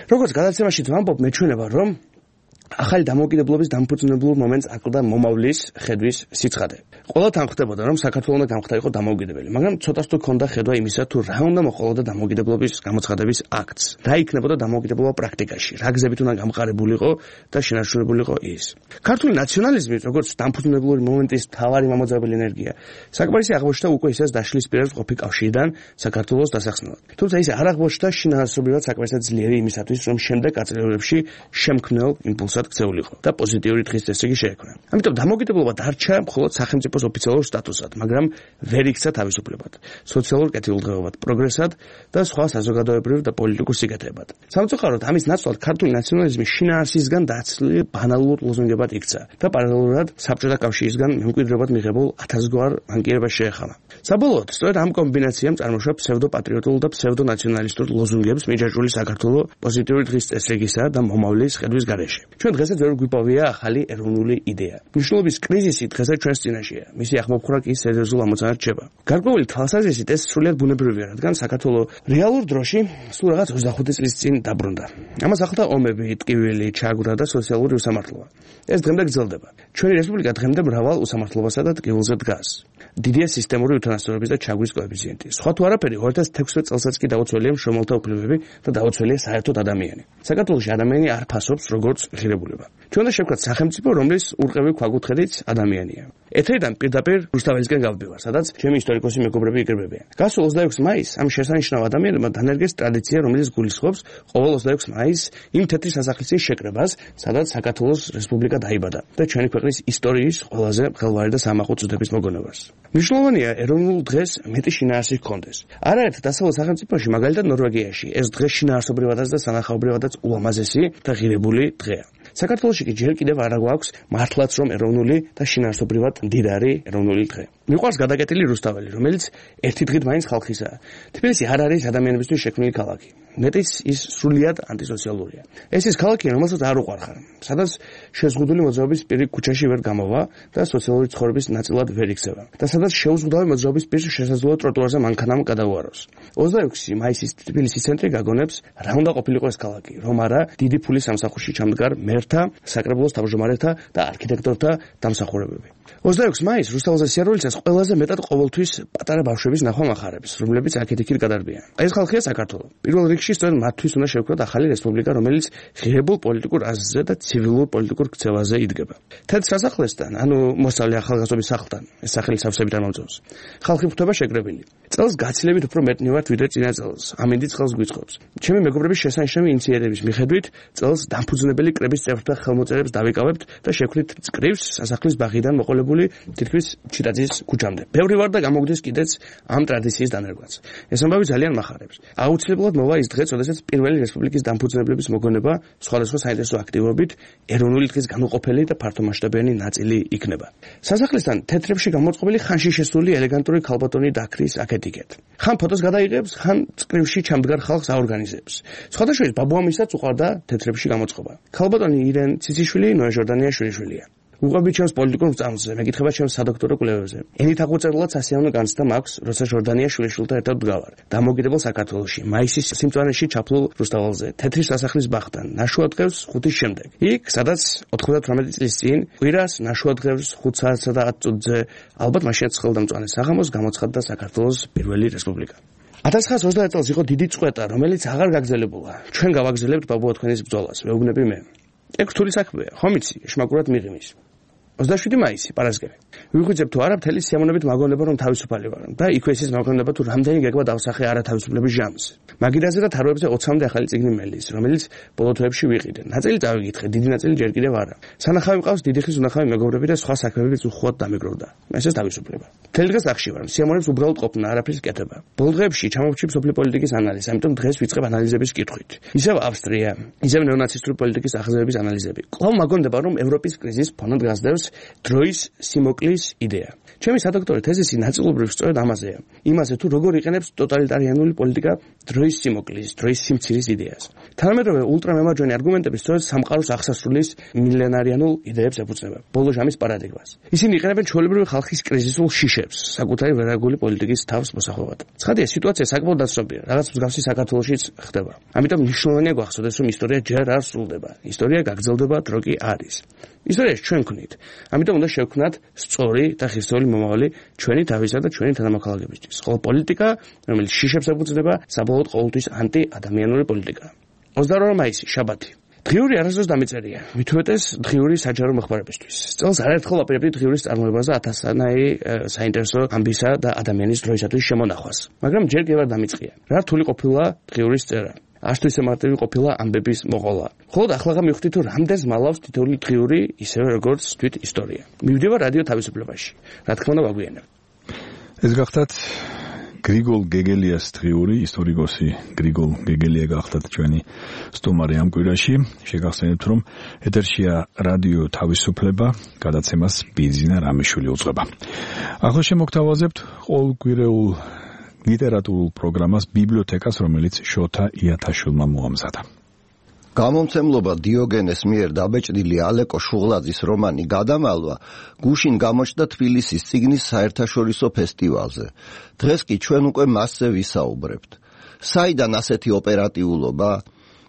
როგორც გადაცემაშიც ვამბობ, მეჩვენება, რომ ახალი დამოუკიდებლობის დამფუძნებელ მომენტს აკლდა მომავლის ხედვის სიცხადე. ყველგან ხდებოდა, რომ საქართველოს უნდა გამხდარიყო დამოუკიდებელი, მაგრამ ცოტას თუ ქონდა ხედვა იმისა, თუ რა უნდა მოყოლოდა დამოუკიდებლობის გამოცხადების აქტს. რა იქნებოდა დამოუკიდებლობა პრაქტიკაში, რა გზებით უნდა გამყარებულიყო და შენარჩუნებულიყო ის. ქართული ნაციონალიზმი, როგორც დამფუძნებელი მომენტის მთავარი მამოძრავებელი ენერგია, საკმარისი აღმოჩნდა უკვე ისეს დაშლის პირას ყოფი კავშირიდან საქართველოს დასახსნელად. თუმცა ის არ აღმოჩნდა შინაარსობრივად საკმარისად ძლიერი იმისათვის, რომ შემდეგ აწლევლებში შემქმნელ იმპულსად ქცეულიყო და პოზიტიური დღის წესრიგი შეექმნა. ამიტომ დამოუკიდებლობა დარჩა მხოლოდ სახელმწიფოს ოფიციალურ სტატუსად, მაგრამ ვერ იქცა თავისუფლებად, სოციალურ კეთილდღეობად, პროგრესად და სხვა საზოგადოებრივ და პოლიტიკურ სიკეთეებად. სამწუხაროდ ამის ნაცვლად ქართული ნაციონალიზმი შინაარსისგან დაცლილი ბანალურ ლოზუნგებად იქცა და პარალელურად საბჭოთა კავშირისგან მემკვიდრეობად მიღებულ ათასგვარ მანკიერებას შეეხამა. საბოლოოდ, სწორედ ამ კომბინაციამ წარმოშვა ფსევდოპატრიოტულ და ფსევდონაციონალისტურ ლოზუნგებს მიჯაჭვული საქართველოს პოზიტიური დღის წესრიგისა და მომავლის ხედვის გარეშე. ჩვენ დღესაც ვერ გვიპოვია ახალი ეროვნული იდეა. მნიშვნელობის კრიზისი დღესაც ჩვენს წინაშეა. მისი ახმოფხვრა კი სერიოზულ ამოცანად რჩება. გარკვეული თვალსაზრისით ეს სრულიად ბუნებრივია, რადგან საქართველოს რეალურ დროში სულ რაღაც ოცდახუთი წლის წინ დაბრუნდა. ამას ახლდა ომები, ტკივილი, ჩაგვრა და სოციალური უსამართლობა. ეს დღემდე გრძელდება. ჩვენი რესპუბლიკა დღემდე მრავალ უსამართლობასა და ტკივილზე დგას. დიდია სისტემური უთანასწორობის და ჩაგვის კოეფიციენტი. სხვა თუ არაფერი, ორი ათას თექვსმეტ წელსაც კი დაუცველია მშრომელთა უფლებები და დაუცველია საერთოდ ადამიანი. საქართველოში ადამიანი არ ფასობს როგორც ღირებულება. ჩვენ უნდა შევქრათ სახელმწიფო, რომლის ურყევი ქვაკუთხედიც ადამიანია. ეთერიდან პირდაპირ რუსთაველისკენ გავდივარ, სადაც ჩემი ისტორიკოსი მეგობრები იკრიბებიან. გასულ ოცდაექვსი მაისს ამ შესანიშნავ ადამიანებმა დანერგეს ტრადიცია, რომელიც გულისხმობს ყოველ ოცდაექვსი მაისს იმ თეთრი სასახლის შეკრებას, სადაც საქართველოს რესპუბლიკა დაიბადა და ჩვენი ქვეყნის ისტორიის ყველაზე ხელვარი და სამახო წოდების მოგონებას. მნიშვნელოვანია ეროვნულ დღეს მეტი შინაარსი ჰქონდეს. არაერთ დასავლეთ სახელმწიფოში, მაგალითად ნორვეგიაში, ეს დღე შინაარსობრივადაც და სანახაობრივადაც ულამაზესი და ღირებული დღეა. საქართველოში კი ჯერ კიდევ არ გვაქვს მართლაც რომ ეროვნული და შინაარსობრივად მდიდარი ეროვნული დღე. მიყვარს გადაკეტილი რუსთაველი, რომელიც ერთი დღით მაინც ხალხისაა. თბილისი არ არის ადამიანებისთვის შექმნილი ქალაქი. მეტიც ის სრულიად ანტისოციალურია. ეს ის ქალაქია, რომელსაც არ უყვარხარ, სადაც შეზღუდული მოძრაობის პირი ქუჩაში ვერ გამოვა და სოციალური ცხოვრების ნაწილად ვერ იქცევა და სადაც შეუზღუდავი მოძრაობის პირს შესაძლოა ტროტუარზე მანქანამ გადაუაროს. ოცდაექვსი მაისის თბილისის ცენტრი გაგონებს რა უნდა ყოფილიყო ეს ქალაქი, რომ არა დიდი ფულის სამსახურში ჩამდგარ მერთა, საკრებულოს თავმჯდომარეთა და არქიტექტორთა დამსახურებები. ოცდაექვსი მაისს რუსთაველზე სიარულისას ყველაზე მეტად ყოველთვის პატარა ბავშვების ნახვა მახარებს, რომლებიც აქეთ-იქით გადარბიან. ეს ხალხია საქართველო. პირველ რიგში სწორედ მათთვის უნდა შევქროთ ახალი რესპუბლიკა, რომელიც ღირებულ პოლიტიკურ აზრზე და ცივილურ პოლიტიკურ ქცევაზე იდგება. თეთრ სასახლესთან, ანუ მოსწავლე ახალგაზრდობის სახლთან, ეს სახელი სავსებით არ მომწონს. ხალხი ხვდება შეკრებილი. წელს გაცილებით უფრო მეტნი ვართ ვიდრე წინა წელს. ამინდი წელს გვიწყობს. ჩემი მეგობრების შესანიშნავი ინიციატივების მიხედვით, წელს დამფუძნებელი კრების წევრთა ხელმოწერებს დავიკავებთ და შევქმნით წკრივს სასახლის ბაღიდან მოყოლ დაყოლებული თითქმის ჩიტაძის ქუჩამდე. ბევრი ვარ და გამოგდის კიდეც ამ ტრადიციის დანერგვაც. ეს ამბავი ძალიან მახარებს. აუცილებლად მოვა ის დღე, როდესაც პირველი რესპუბლიკის დამფუძნებლების მოგონება სხვადასხვა საინტერესო აქტივობით ეროვნული დღის განუყოფელი და ფართომასშტაბიანი ნაწილი იქნება. სასახლესთან თეთრებში გამოწყობილი ხანში შესული ელეგანტური ქალბატონი დაქრის აქეთ-იქეთ. ხან ფოტოს გადაიღებს, ხან წკრივში ჩამდგარ ხალხს აორგანიზებს. სხვადასხვა ბაბუამისაც უყვარდა თეთრებში გამოწყობა. ქალბატონი ირენ ციციშვილი ნოე ჟორდანიაშვილია. უყვები ჩემს პოლიტიკურ წამსზე, მეკითხება ჩემს სადოქტორო კვლევებზე. ენით აღუწერლად სასიამოვნო განცდა მაქვს, როცა ჟორდანიაშვილთან ერთად ვდგავარ. დამოუკიდებელ საქართველოში, მაისის სიმწვანეში ჩაფლულ რუსთაველზე, თეთრის სასახლის ბაღთან, ნაშუადღევს ხუთის შემდეგ. იქ, სადაც ოთხმოცდათვრამეტი წლის წინ, კვირას ნაშუადღევს ხუთ საათსა და ათ წუთზე, ალბათ მაშინაც ხელდამწვანე საღამოს გამოცხადდა საქართველოს პირველი რესპუბლიკა. ათას ცხრაასი ოცდაათ წელს იყო დიდი წყვეტა, რომელიც აღარ გაგრძელებულა. ჩვენ გავაგრძელებთ ბაბუა თქვენის ბრძოლას, ვეუბნები მე. ეგ რთული საქმეა, ხომ იცი, შმაგურად მიღიმის. ოცდაშვიდი მაისი, პარასკევი. ვიღვიძებ თუ არა, მთელი სიამოვნებით მაგონება რომ თავისუფალი ვარ და იქვე ისიც მაგონება თუ რამდენი გეგმა დავსახე არა თავისუფლების ჟამს. მაგიდაზე და თაროებზე ოცამდე ახალი წიგნი მელის, რომელიც ბოლო თვეებში ვიყიდე. ნაწილი წავიკითხე, დიდი ნაწილი ჯერ კიდევ არა. სანახავი მყავს დიდი ხნის უნახავი მეგობრები და სხვა საქმეებიც უხვად დამეგროვდა. ესეც თავისუფლება. მთელი დღე სახში ვარ, სიამოვნებს უბრალოდ ყოფნა, არაფრის კეთება. ბოლო დღეებში ჩამოვჭი სოფლიო პოლიტიკის ანალიზს, ამიტომ დღეს ვიწყებ ანალიზების კითხვით. ისევ ავსტრია, ისევ ნეონაცისტური პოლიტიკის აღზევების ანალიზები. კვლავ მაგონდება რომ ევროპის კრიზის ფონად გასდევს დროის სიმოკლის იდეა. ჩემი სადოქტორო თეზისი ნაწილობრივ სწორედ ამაზეა. იმაზე თუ როგორ იყენებს ტოტალიტარიანული პოლიტიკა დროის სიმოკლის, დროის სიმცირის იდეას. თანამედროვე ულტრამემარჯვენე არგუმენტები სწორედ სამყაროს აღსასრულის მილენარიანულ იდეებს ეფუძნება, ბოლო ჟამის პარადიგმას. ისინი იყენებენ ჩვეულებრივი ხალხის კრიზისულ შიშებს, საკუთარი ვერაგული პოლიტიკის თავს მოსახვევად. ცხადია, სიტუაცია საკმაოდ დაცნობია, რაღაც მსგავსი საქართველოშიც ხდება. ამიტომ მნიშვნელოვანია გვახსოვდეს, რომ ისტორია ჯერ არ სრულდება. ისტორია გაგრძელდება, დრო კი არის. ისტორიას ჩვენ ვქნით. ამიტომ უნდა შევქმნათ სწორი და ხისტორი მომავალი ჩვენი თავისა და ჩვენი თანამოქალაქეებისთვის. ხოლო პოლიტიკა, რომელიც შიშებს ეფუძნება, საბოლოოდ ყოველთვის ანტი-ადამიანური პოლიტიკაა. ოცდაორი მაისი, შაბათი. დღიური არასდროს დამეწერია, მით უმეტეს დღიური საჯარო მოხმარებისთვის. წელს არაერთხელ ვაპირებდი დღიურის წარმოებას და ათასსანაირი საინტერესო ამბისა და ადამიანის დროისათვის შემონახვას. მაგრამ ჯერ კი ვარ დამიწყია. რა რთული ყოფილა დღიურის წერა. აშტო ისე მარტივი ყოფილა ამბების მოყოლა. ხოლო ახლა მივხვდი თუ რამდენს მალავს თითოეული დღიური, ისევე როგორც თვით ისტორია. მივდივარ რადიო თავისუფლებაში. რა თქმა უნდა ვაგვიანებ. ეს გახდათ გრიგოლ გეგელიას დღიური, ისტორიკოსი გრიგოლ გეგელია გახდათ ჩვენი სტუმარი ამ კვირაში. შეგახსენებთ რომ ეთერშია რადიო თავისუფლება, გადაცემას ბიზინა რამიშვილი უძღვება. ახლა შემოგთავაზებთ ყოველკვირეულ ლიტერატურულ პროგრამას ბიბლიოთეკას, რომელიც შოთა იათაშვილმა მოამზადა. გამომცემლობა დიოგენეს მიერ დაბეჭდილი ალეკო შუღლაძის რომანი გადამალვა გუშინ გამოჩნდა თბილისის წიგნის საერთაშორისო ფესტივალზე. დღეს კი ჩვენ უკვე მასზე ვისაუბრებთ. საიდან ასეთი ოპერატიულობა?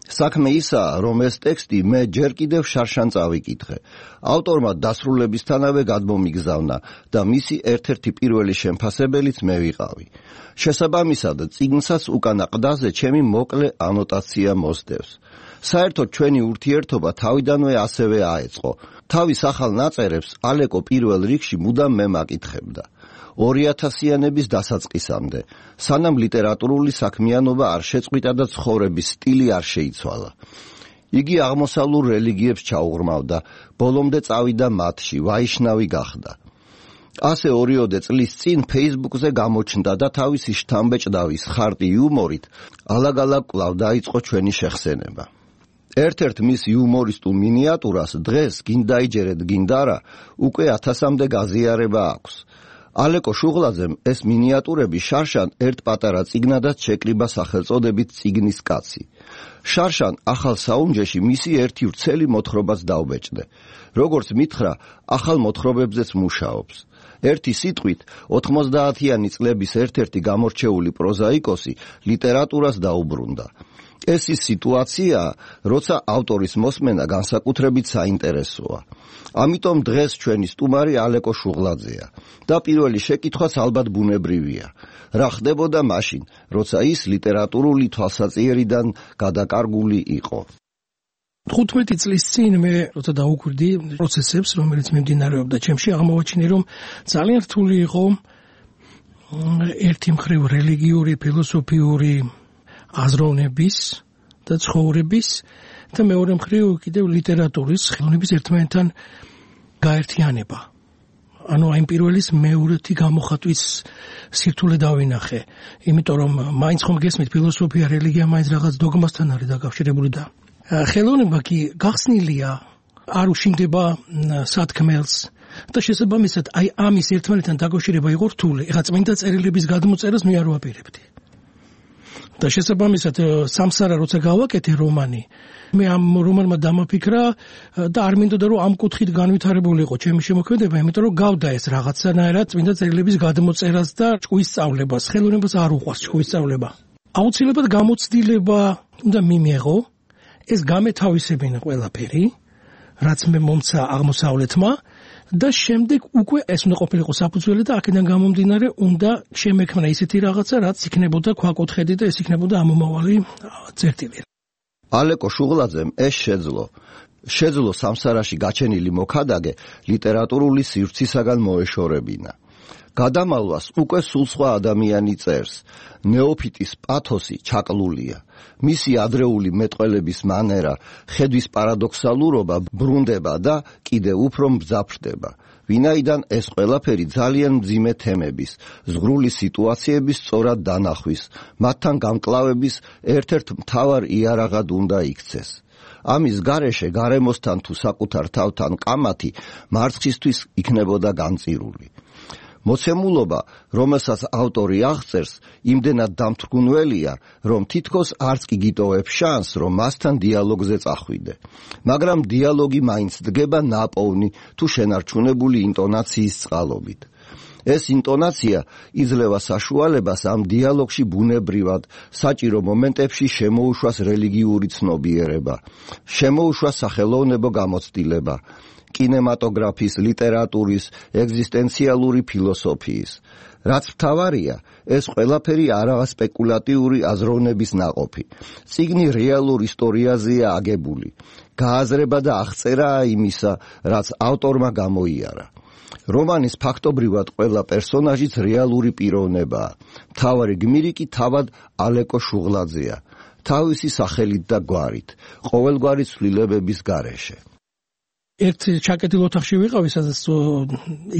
საქმე ისაა, რომ ეს ტექსტი მე ჯერ კიდევ შარშან წავიკითხე. ავტორმა დასრულებისთანავე გადმომიგზავნა და მისი ერთ-ერთი პირველი შემფასებელიც მე ვიყავი. შესაბამისად, წიგნსაც უკანა ყდაზე ჩემი მოკლე ანოტაცია მოსდევს. საერთოდ ჩვენი ურთიერთობა თავიდანვე ასევე აეწყო. თავის ახალ ნაწერებს ალეკო პირველ რიგში მუდამ მე მაკითხებდა. ორი ათასიანების დასაწყისამდე, სანამ ლიტერატურული საქმიანობა არ შეწყვიტა და ცხოვრების სტილი არ შეიცვალა. იგი აღმოსავლურ რელიგიებს ჩაუღრმავდა, ბოლომდე წავიდა მათში, ვაიშნავი გახდა. ასე ორიოდე წლის წინ Facebook-ზე გამოჩნდა და თავისი შთამბეჭდავის ხარტი იუმორით ალაგ-ალაგ კვლავ დაიწყო ჩვენი შეხსენება. ერთ-ერთ მის იუმორისტულ მინიატურას დღეს გინდა იჯერეთ გინდა არა, უკვე ათასამდე გაზიარება აქვს. ალეკო შუღლაძემ ეს მინიატურები შარშან ერთ პატარა წიგნადაც შეკრიბა სახელწოდებით წიგნის კაცი. შარშან ახალ საუნჯეში მისი ერთი ვრცელი მოთხრობაც დაუბეჭდე. როგორც მითხრა, ახალ მოთხრობებზეც მუშაობს. ერთი სიტყვით, ოთხმოცდაათიანი წლების ერთ-ერთი გამორჩეული პროზაიკოსი ლიტერატურას დაუბრუნდა. ეს ის სიტუაციაა, როცა ავტორის მოსმენა განსაკუთრებით საინტერესოა. ამიტომ დღეს ჩვენი სტუმარი ალეკო შუღლაძეა და პირველი შეკითხვაც ალბათ ბუნებრივია. რა ხდებოდა მაშინ, როცა ის ლიტერატურული თვალსაჩინარიდან გადაკარგული იყო? თხუთმეტი წლის წინ მე როცა დაუკვირდი პროცესებს, რომელიც მიმდინარეობდა ჩემში, აღმოვაჩინე, რომ ძალიან რთული იყო ერთი მხრივ რელიგიური, ფილოსოფიური აზროვნების და ცხოვრების და მეორე მხრივ კიდევ ლიტერატურის ხელოვნების ერთმანეთთან გაერთიანება. ანუ აი პირველის მეორეთი გამოხატვის სირთულე დავინახე, იმიტომ რომ მაინც ხომ გესმით ფილოსოფია, რელიგია მაინც რაღაც დოგმასთან არის დაკავშირებული და ხელოვნება კი გახსნილია, არ უშინდება სათქმელს და შესაბამისად აი ამის ერთმანეთთან დაკავშირება იყო რთული. ეხლა წმინდა წერილების გადმოწერას მე არ ვაპირებდი. და შესაბამისად სამსარა როცა გავაკეთე რომანი, მე ამ რომანმა დამაფიქრა და არ მინდოდა რომ ამ კუთხით განვითარებულიყო ჩემი შემოქმედება, იმიტომ რომ გავდა ეს რაღაცანაირად წმინდა წერილების გადმოწერას და ჭკუის სწავლებას. ხელოვნებას არ უყვარს ჭკუის სწავლება. აუცილებლად გამოცდილება უნდა მიმეღო, ეს გამეთავისებინა ყველაფერი, რაც მე მომცა აღმოსავლეთმა და შემდეგ უკვე ეს უნდა ყოფილიყო საფუძველი და აქედან გამომდინარე უნდა შემექმნა ისეთი რაღაცა, რაც იქნებოდა ქვაკუთხედი და ეს იქნებოდა ამომავალი წერტილი. ალეკო შუღლაძემ ეს შეძლო. შეძლო სამსარაში გაჩენილი მოქადაგე ლიტერატურული სივრცისაგან მოეშორებინა. გადამალვას უკვე სულ სხვა ადამიანი წერს. ნეოფიტის პათოსი ჩაკლულია. მისი ადრეული მეტყველების მანერა, ხედვის პარადოქსალურობა ბრუნდება და კიდევ უფრო მძაფრდება. ვინაიდან ეს ყველაფერი ძალიან მძიმე თემების, ზღვრული სიტუაციების სწორად დანახვის, მათთან გამკლავების ერთ-ერთ მთავარ იარაღად უნდა იქცეს. ამის გარეშე გარემოსთან თუ საკუთარ თავთან კამათი მარცხისთვის იქნებოდა განწირული. მოცემულობა, რომელსაც ავტორი აღწერს, იმდენად დამთრგუნველია, რომ თითქოს არც კი გიტოვებს შანსს, რომ მასთან დიალოგზე წახვიდე. მაგრამ დიალოგი მაინც დგება ნაპოვნი თუ შენარჩუნებული ინტონაციის წყალობით. ეს ინტონაცია იძლევა საშუალებას ამ დიალოგში ბუნებრივად, საჭირო მომენტებში შემოუშვას რელიგიური ცნობიერება, შემოუშვას სახელოვნებო გამოცდილება, კინემატოგრაფის, ლიტერატურის, ეგზისტენციალური ფილოსოფიის. რაც მთავარია, ეს ყველაფერი არაა სპეკულატიური აზროვნების ნაყოფი. წიგნი რეალურ ისტორიაზეა აგებული. გააზრება და აღწერაა იმისა, რაც ავტორმა გამოიარა. რომანის ფაქტობრივად ყველა პერსონაჟიც რეალური პიროვნებაა. მთავარი გმირი კი თავად ალეკო შუღლაძეა. თავისი სახელით და გვარით, ყოველგვარი ცვლილებების გარეშე. ერთ ჩაკეტილ ოთახში ვიყავი, სადაც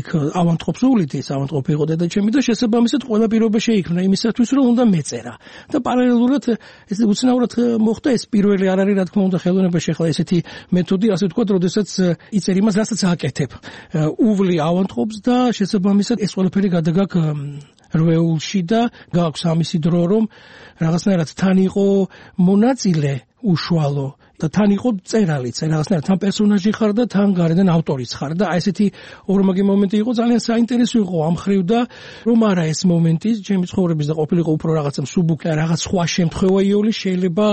იქ ავანტყოფს უვლით, ის ავანტყოფი იყო დედაჩემი და შესაბამისად ყველა პირობა შეიქმნა იმისათვის, რომ უნდა მეწერა. და პარალელურად ეს უცნაურად მოხდა, ეს პირველი არ არის, რა თქმა უნდა, ხელოვნებაში ახლა ესეთი მეთოდი, ასე ვთქვათ, როდესაც იწერ იმას, რასაც აკეთებ. უვლი ავანტყოფს და შესაბამისად ეს ყველაფერი გადაგაკ რვეულში და გაქვს ამისი დრო, რომ რაღაცნაირად თან იყო მონაწილე უშუალო და თან იყო წერალიც, რაღაცნაირად თან პერსონაჟი ხარ და თან გარედან ავტორიც ხარ და აი ესეთი ორმაგი მომენტი იყო, ძალიან საინტერესო იყო ამ ხრივ და რომ არა ეს მომენტი ჩემი ცხოვრების და ყოფილიყო უფრო რაღაცა მსუბუქი, რაღაც სხვა შემთხვევა იოლი შეიძლება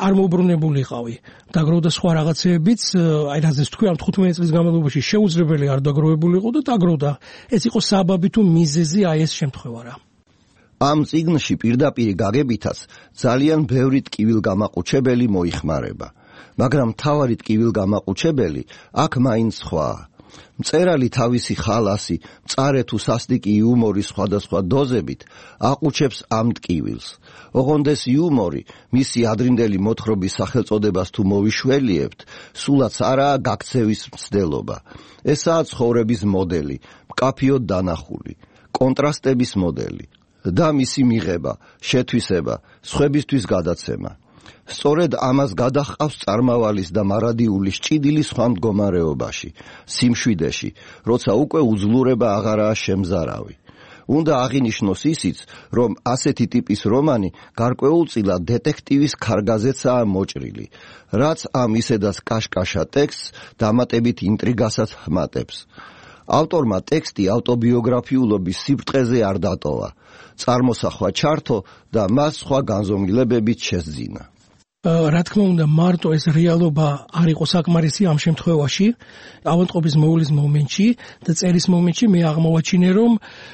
არ მოუბრუნებულიყავი. დაგროვდა სხვა რაღაცეებიც, აი რაზეც თქვი, ამ თხუთმეტი წლის განმავლობაში შეუძლებელი არ დაგროვებულიყო და დაგროვდა. ეს იყო საბაბი თუ მიზეზი აი ეს შემთხვევა რა. ამ წიგნში პირდაპირ გაგებითაც ძალიან ბევრი ტკივილგამაყუჩებელი მოიხმარება, მაგრამ მთავარი ტკივილგამაყუჩებელი აქ მაინც სხვაა. მწერალი თავისი ხალასი, მწარე თუ სასტიკი იუმორის სხვადასხვა დოზებით აყუჩებს ამ ტკივილს. ოღონდ ეს იუმორი, მისი ადრინდელი მოთხრობის სახელწოდებას თუ მოვიშველიებთ, სულაც არაა გაქცევის მცდელობა. ესაა ცხოვრების მოდელი, მკაფიოდ დანახული, კონტრასტების მოდელი. და მისი მიღება, შეთვისება, სხვებისთვის გადაცემა. სწორედ ამას გადაჰყავს წარმავალის და მარადიულის ჭიდილი სხვა მდგომარეობაში, სიმშვიდეში, როცა უკვე უძლურება აღარაა შემზარავი. უნდა აღინიშნოს ისიც, რომ ასეთი ტიპის რომანი გარკვეულწილად დეტექტივის ქარგაზეცაა მოჭრილი, რაც ამ ისედაც კაშკაშა ტექსტს დამატებით ინტრიგასაც ჰმატებს. ავტორმა ტექსტი ავტობიოგრაფიულობის სიბრტყეზე არ დატოვა. წარმოსახვა ჩართო და მას სხვა განზომილებებით შესძინა. რა თქმა უნდა, მარტო ეს რეალობა არ იყო საკმარისი ამ შემთხვევაში. ავანტყოფის მოვლის მომენტში და წერის მომენტში მე აღმოვაჩინე, რომ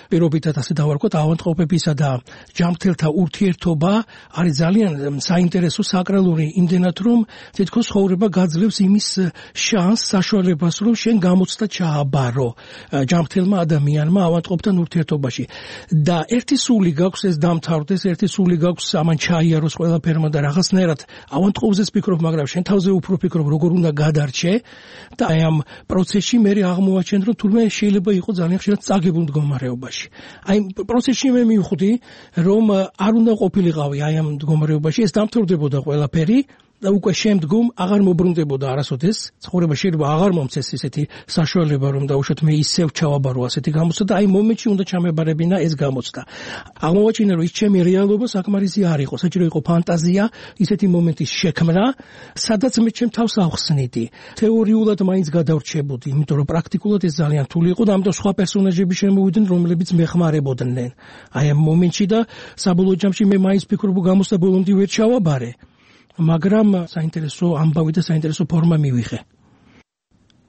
პირობითად ასე დავარქვათ, ავანტყოფებისა და ჯამთელთა ურთიერთობა არის ძალიან საინტერესო, საკრალური, იმდენად რომ თითქოს ცხოვრება გაძლევს იმის შანსს, საშუალებას, რომ შენ გამოცდა ჩააბარო ჯამთელმა ადამიანმა ავანტყოფთან ურთიერთობაში. და ერთი სული გაქვს ეს დამთავრდეს, ერთი სული გაქვს ამან ჩაიაროს ყველაფერმა და რაღაცნაირად ავანტყობზეც ფიქრობ, მაგრამ შენ თავზე უფრო ფიქრობ, როგორ უნდა გადარჩე და აი ამ პროცესში მე აღმოვაჩენ, რომ თურმე შეიძლება იყოს ძალიან ხშირად წაგებულ მდგომარეობაში. აი პროცესში მე მივხვდი, რომ არ უნდა ყოფილიყავი აი ამ მდგომარეობაში, ეს დამთავრდებოდა ყველაფერი. და უკვე შემდგომ აღარ მობრუნდებოდა არასოდეს ცხოვრება შეიძლება აღარ მომცეს ისეთი საშუალება რომ დაუშვათ მე ისევ ჩავაბარო ასეთი გამოცდა და აი მომენტში უნდა ჩამებარებინა ეს გამოცდა აღმოვაჩინე რომ ის ჩემი რეალობა საკმარისი არ იყო საჭირო იყო ფანტაზია ისეთი მომენტის შექმნა სადაც მე ჩემ თავს ავხსნიდი თეორიულად მაინც გადავრჩებოდი იმიტომ რომ პრაქტიკულად ეს ძალიან რთული იყო და ამიტომ სხვა პერსონაჟები შემოვიდნენ რომლებიც მეხმარებოდნენ აი ამ მომენტში და საბოლოო ჯამში მე მაინც ფიქრობ გამოცდა ბოლომდე ვერ ჩავაბარე მაგრამ საინტერესო ამბავი და საინტერესო ფორმა მივიღე.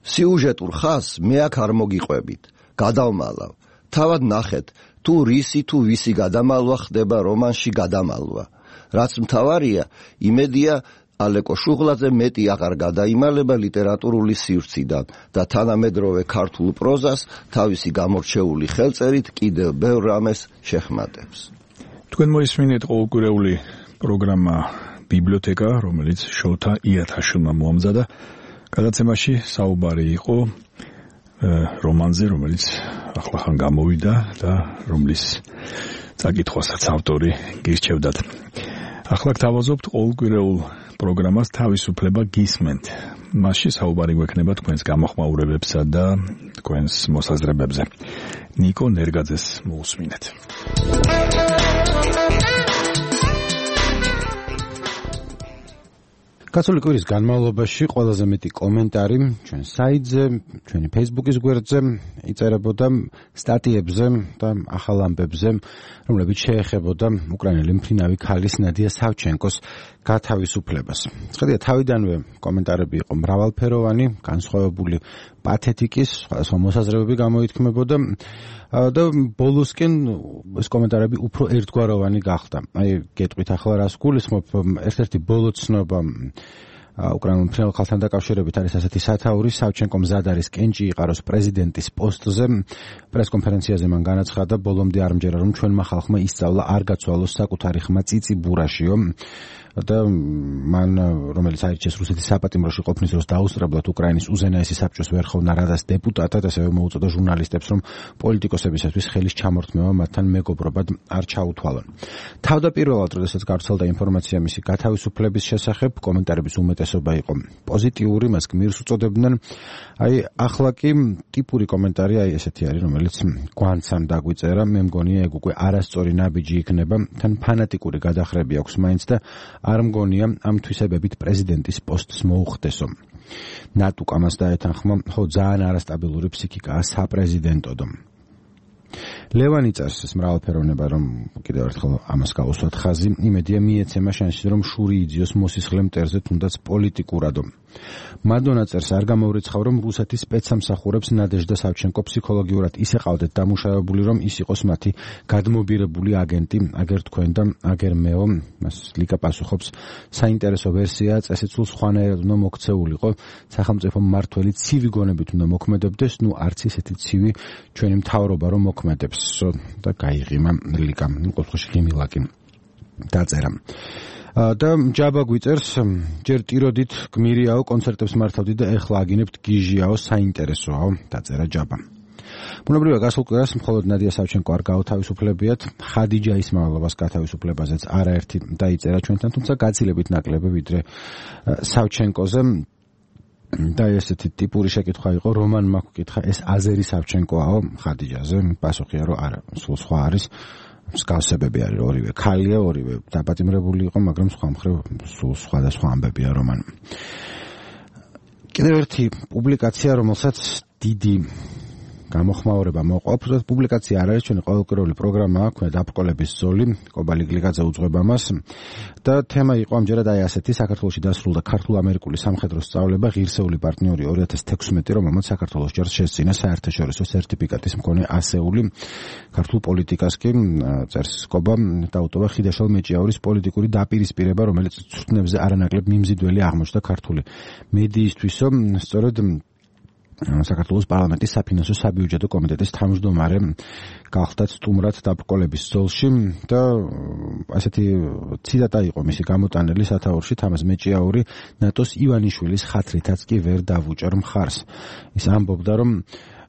სიუჟეტურ ხაზს მე აქ არ მოგიყვებით. გადავმალავ. თავად ნახეთ, თუ რისი თუ ვისი გადამალვა ხდება რომანში გადამალვა. რაც მთავარია, იმედია ალეკო შუღლაძე მეტი აღარ გადაიმალება ლიტერატურული სივრციდან და თანამედროვე ქართულ პროზას თავისი გამორჩეული ხელწერით კიდევ ბევრ რამეს შეხმატებს. თქვენ მოისმინეთ ყოველკვირეული პროგრამა ბიბლიოთეკა, რომელიც შოთა იათაშვილმა მოამზადა. გადაცემაში საუბარი იყო რომანზე, რომელიც ახლახან გამოვიდა და რომლის წაკითხვასაც ავტორი გირჩევდათ. ახლა გთავაზობთ ყოველკვირეულ პროგრამას თავისუფლება გისმენთ. მასში საუბარი გვექნება თქვენს გამოხმაურებებსა და თქვენს მოსაზრებებზე. ნიკო ნერგაძეს მოусმინეთ. გასული კვირის განმავლობაში ყველაზე მეტი კომენტარი ჩვენ საიტზე, ჩვენი Facebook-ის გვერდზე იწერებოდა სტატიებზე და ახალ ამბებზე, რომლებიც შეეხებოდა უკრაინელი მფრინავი ქალის ნადია სავჩენკოს გათავისუფლებას. ხედავთ, თავიდანვე კომენტარები იყო მრავალფეროვანი, განსხვავებული პათეტიკის, სხვადასხვა მოსაზრებები გამოითქმებოდა და ბოლოსკენ ეს კომენტარები უფრო ერთგვაროვანი გახდა. აი, გეტყვით ახლა რას გულისხმობ, ერთ-ერთი ბოლო ცნობა უკრაინულ მფრინავ ხალხთან დაკავშირებით არის ასეთი სათაური, სავჩენკო მზად არის კენჭი იყაროს პრეზიდენტის პოსტზე. პრესკონფერენციაზე მან განაცხადა, ბოლომდე არ მჯერა, რომ ჩვენმა ხალხმა ისწავლა არ გაცვალოს საკუთარი ხმა წიწიბურაშიო. და მან რომელიც აირჩიეს რუსეთის საპატიმროში ყოფნის დროს დაუსწრებლად უკრაინის უზენაესი საბჭოს ვერხოვნა რადას დეპუტატად, ასევე მოუწოდა ჟურნალისტებს, რომ პოლიტიკოსებისათვის ხელის ჩამორთმევა მათთან მეგობრობად არ ჩაუთვალონ. თავდაპირველად, როდესაც გავრცელდა ინფორმაცია მისი გათავისუფლების შესახებ, კომენტარების უმეტესობა იყო პოზიტიური, მას გმირს უწოდებდნენ. აი, ახლა კი ტიპური კომენტარი აი ესეთი არის, რომელიც გვანცამ დაგვიწერა, მე მგონია ეგ უკვე არასწორი ნაბიჯი იქნება, თან ფანატიკური გადახრები აქვს მაინც და არ მგონია ამ თვისებებით პრეზიდენტის პოსტს მოუხდესო. ნატუკ ამას დაეთანხმა, ხო ძალიან არასტაბილური ფსიქიკაა საპრეზიდენტოდო. ლევანი წერს ეს მრავალფეროვნება, რომ კიდევ ერთხელ ამას გავუსვათ ხაზი, იმედია მიეცემა შანსი, რომ შური იძიოს მოსისხლე მტერზე, თუნდაც პოლიტიკურადო. მადონა წერს, არ გამოვრიცხავ, რომ რუსეთის სპეცსამსახურებს ნადეჟდა სავჩენკო ფსიქოლოგიურად ისე ყავდეთ დამუშავებული, რომ ის იყოს მათი გადმობირებული აგენტი, აგერ თქვენ და აგერ მეო. მას ლიკა პასუხობს, საინტერესო ვერსია, წესიცულ სხვანაირად უნდა მოქცეულიყო, სახელმწიფო მმართველი ცივი გონებით უნდა მოქმედებდეს, ნუ არც ისეთი ცივი ჩვენი მთავრობა რომ მოქმედებს და გაიღიმა ლიკა, ყოველთვის ღიმილაკი დაწერა. და ჯაბა გვიწერს, ჯერ ტიროდით გმირიაო, კონცერტებს მართავდი და ეხლა აგინებთ გიჟიაო, საინტერესოა, დაწერა ჯაბა. ბუნებრივია გასულ კვირას მხოლოდ ნადია სავჩენკო არ გაათავისუფლებიათ, ხადიჯა ისმაილოვას გათავისუფლებაზეც არაერთი დაიწერა ჩვენთან, თუმცა გაცილებით ნაკლები ვიდრე სავჩენკოზე. და ესეთი ტიპური შეკითხვა იყო, რომან მაქუკითხა, ეს აზერი სავჩენკოაო ხადიჯაზე, პასუხია რომ არა, სულ სხვა არის. მსგავსებები არის, ორივე ქალია, ორივე დაპატიმრებული იყო, მაგრამ სხვა მხრივ სულ სხვადასხვა ამბებია რომან. კიდევ ერთი პუბლიკაცია, რომელსაც დიდი გამოხმაურება მოყვა, უბრალოდ პუბლიკაცია არ არის, ჩვენი ყოველკვირეული პროგრამაა, ქვია დაბრკოლების ზოლი, კობალი გლიგაძე უძღვება მას და თემა იყო ამჯერად აი ასეთი, საქართველოში დასრულდა ქართულ-ამერიკული სამხედრო სწავლება, ღირსეული პარტნიორი ორი ათას თექვსმეტი, რომელმაც საქართველოს ჯარს შესწინა საერთაშორისო სერტიფიკატის მქონე ასეული. ქართულ პოლიტიკას კი წერს კობა დაუტოვა ხიდაშალ მეჭიაურის პოლიტიკური დაპირისპირება, რომელიც ცუდნებზე არანაკლებ მიმზიდველი აღმოჩნდა ქართული მედიისთვისო, სწორედ საქართველოს პარლამენტის საფინანსო საბიუჯეტო კომიტეტის თავმჯდომარე გახდათ სტუმრად დაბრკოლების ძოლში და ასეთი ციტატა იყო მისი გამოტანილი სათაურში თამაზ მეჭიაური ნატოს ივანიშვილის ხათრითაც კი ვერ დავუჭერ მხარს. ის ამბობდა რომ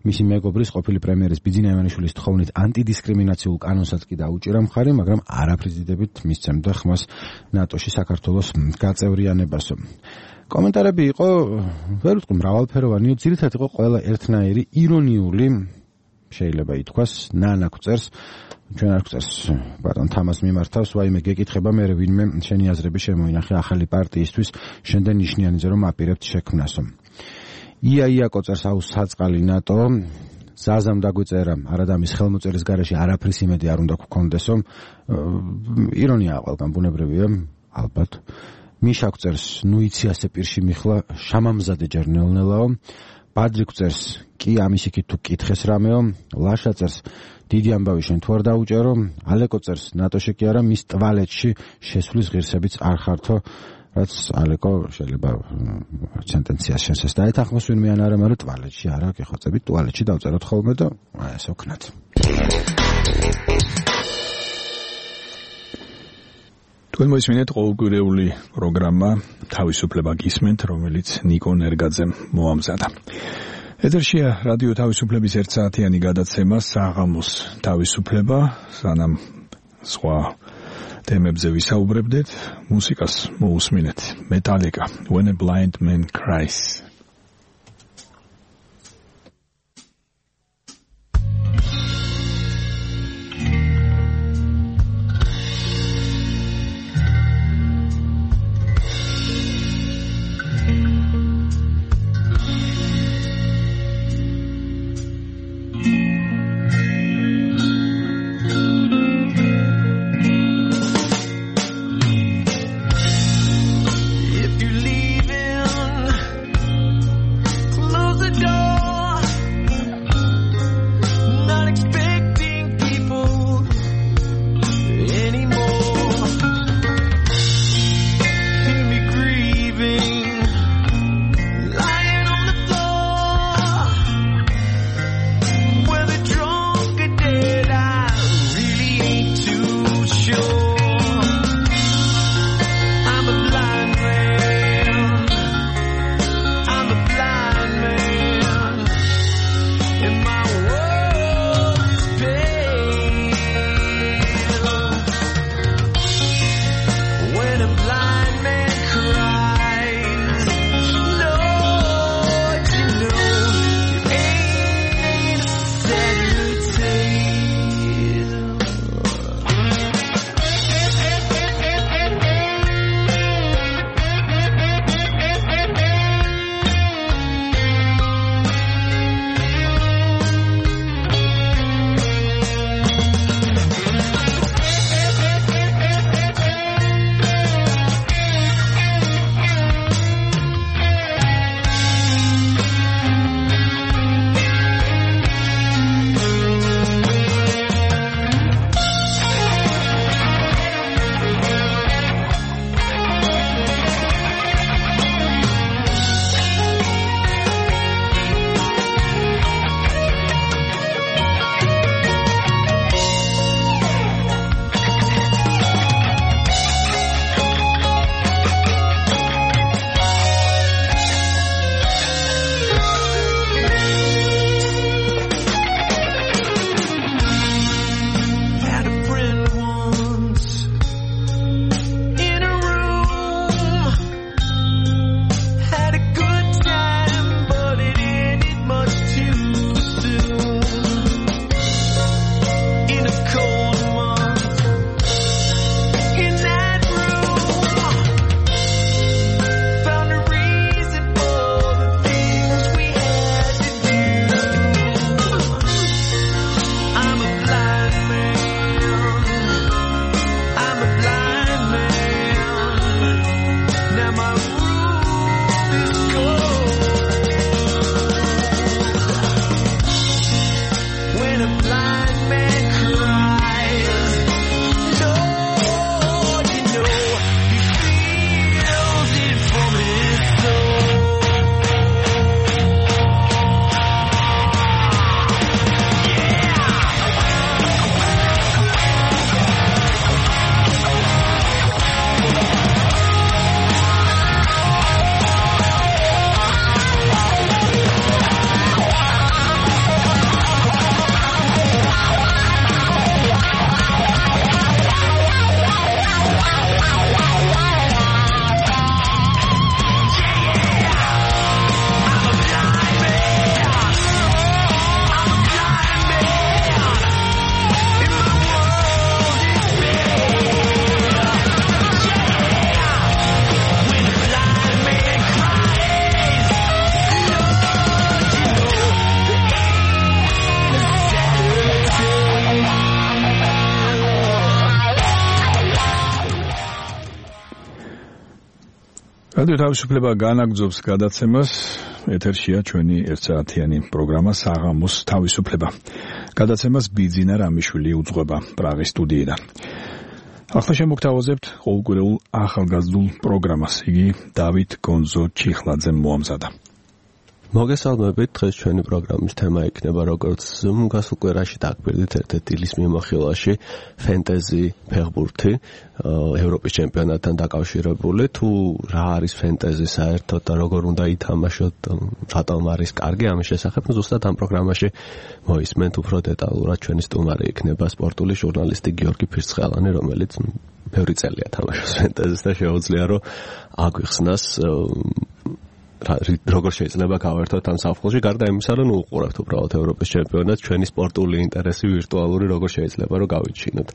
მისი მეგობრის ყოფილი პრემიერის ბიძინა ივანიშვილის თხოვნით ანტიდისკრიმინაციულ კანონსაც კი დაუჭირა მხარი, მაგრამ არაფრიზიდებით მისცემდა ხმას ნატოში საქართველოს გაწევრიანებასო. კომენტარები იყო, ვერ ვთქვი მრავალფეროვანიო, ძირითადად იყო ყველა ერთნაირი ირონიული, შეიძლება ითქვას, ნანაკ წერს, ჩვენ არ გვწერს ბატონ თამას მიმართავს, ვაიმე გეკითხება მე ვინმე შენი აზრები შემოინახე ახალი პარტიისთვის, შენდენ ნიშნიანიზე რომ აპირებთ შექმნასო. ია იაკო წერს აუ საწყალი ნატო ზაზამ დაგვიწერა არადამის ხელმოწერის garaში არაფრის იმედი არ უნდა გქონდესო. ირონია ყველგან ბუნებრივია ალბათ. მიშა წერს ნუ იცი ასე პირში მიხლა შამამზადე ჯერნელნელაო. ბადრი წერს კი ამის იქით თუ კითხეს რამეო. ლაშა წერს დიდი ამბავი შენ თუ არ დაუჭერო. ალეკო წერს ნატოში კი არა მის ტვალეტში შესვლის ღირსებიც არ ხართო. რაც ალეკო შეიძლება სენტენციას შესეს დაეთანხმოს ვინმე ან არა, მაგრამ ტვალეტში არა, გეხოცებით ტუალეტში დავწეროთ ხოლმე და ეს ოქნათ. თქვენ მოისმინეთ ყოველკვირეული პროგრამა თავისუფლება გისმენთ, რომელიც ნიკო ნერგაძემ მოამზადა. ეთერშია რადიო თავისუფლების ერთსაათიანი გადაცემა საღამოს თავისუფლება, სანამ სხვა თემებზე ვისაუბრებდეთ, მუსიკას მოусმინეთ. Metallica, When a Blind Man Cries. რადიო თავისუფლება განაგრძობს გადაცემას. ეთერშია ჩვენი ერთსაათიანი პროგრამა საღამოს თავისუფლება. გადაცემას ბიძინა რამიშვილი უძღვება პრაღის სტუდიიდან. ახლა შემოგთავაზებთ ყოველკვირეულ ახალგაზრდულ პროგრამას. იგი დავით გონზო ჩიხლაძემ მოამზადა. მოგესალმებით, დღეს ჩვენი პროგრამის თემა იქნება როგორც გასულ კვირაში დაგვირდით ერთ-ერთი დილის მიმოხილვაში ფენტეზი ფეხბურთი ევროპის ჩემპიონატთან დაკავშირებული. თუ რა არის ფენტეზი საერთოდ და როგორ უნდა ითამაშოთ, რატომ არის კარგი ამის შესახებ, ზუსტად ამ პროგრამაში მოისმენთ უფრო დეტალურად. ჩვენი სტუმარი იქნება სპორტული ჟურნალისტი გიორგი ფირცხალანი, რომელიც ბევრი წელია თამაშობს ფენტეზის და შეუძლია რომ აგვიხსნას როგორ შეიძლება გავერთოთ ამ საფხულში, გარდა იმისა, რომ უყურებთ უბრალოდ ევროპის ჩემპიონატს, ჩვენი სპორტული ინტერესი ვირტუალური როგორ შეიძლება რომ გავიჩინოთ.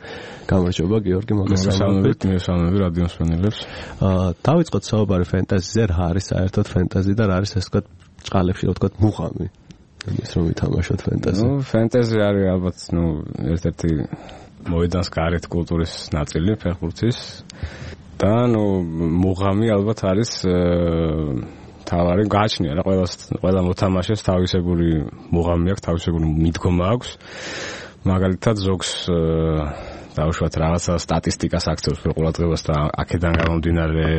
გამარჯობა გიორგი, მოგესალმებით. მოგესალმებით რადიო მსმენელებს. აა დავიწყოთ საუბარი ფენტეზიზე, რა არის საერთოდ ფენტეზი და რა არის ეს თქვა ჭყალებში რო თქვა მუღამი. ის რომ ვითამაშოთ ფენტეზი. ნუ ფენტეზი არის ალბათ ნუ ერთ-ერთი მოედანს გარეთ კულტურის ნაწილი ფეხბურთის და ნუ მუღამი ალბათ არის თავარი გააჩნია რა ყველა ყველა მოთამაშეს თავისებური მუღამი აქვს, თავისებური მიდგომა აქვს. მაგალითად ზოგს დაუშვათ რაღაცა სტატისტიკას აქცევს ყურადღებას და აქედან გამომდინარე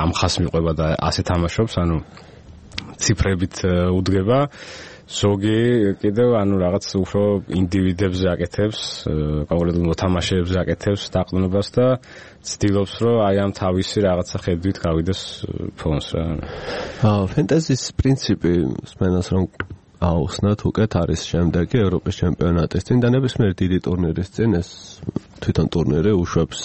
ამ ხას მიყვება და ასე თამაშობს, ანუ ციფრებით უდგება. ზოგი კიდევ ანუ რაღაც უფრო ინდივიდებზე აკეთებს, კონკრეტულ მოთამაშეებზე აკეთებს დაყრდნობას და ცდილობს რომ აი ამ თავისი რაღაცა ხედვით გავიდეს ფონს რა. აა ფენტეზის პრინციპი სმენას რომ აუხსნათ უკეთ არის შემდეგი ევროპის ჩემპიონატის წინ და ნებისმიერ დიდი ტურნირის წინ ეს თვითონ ტურნირი უშვებს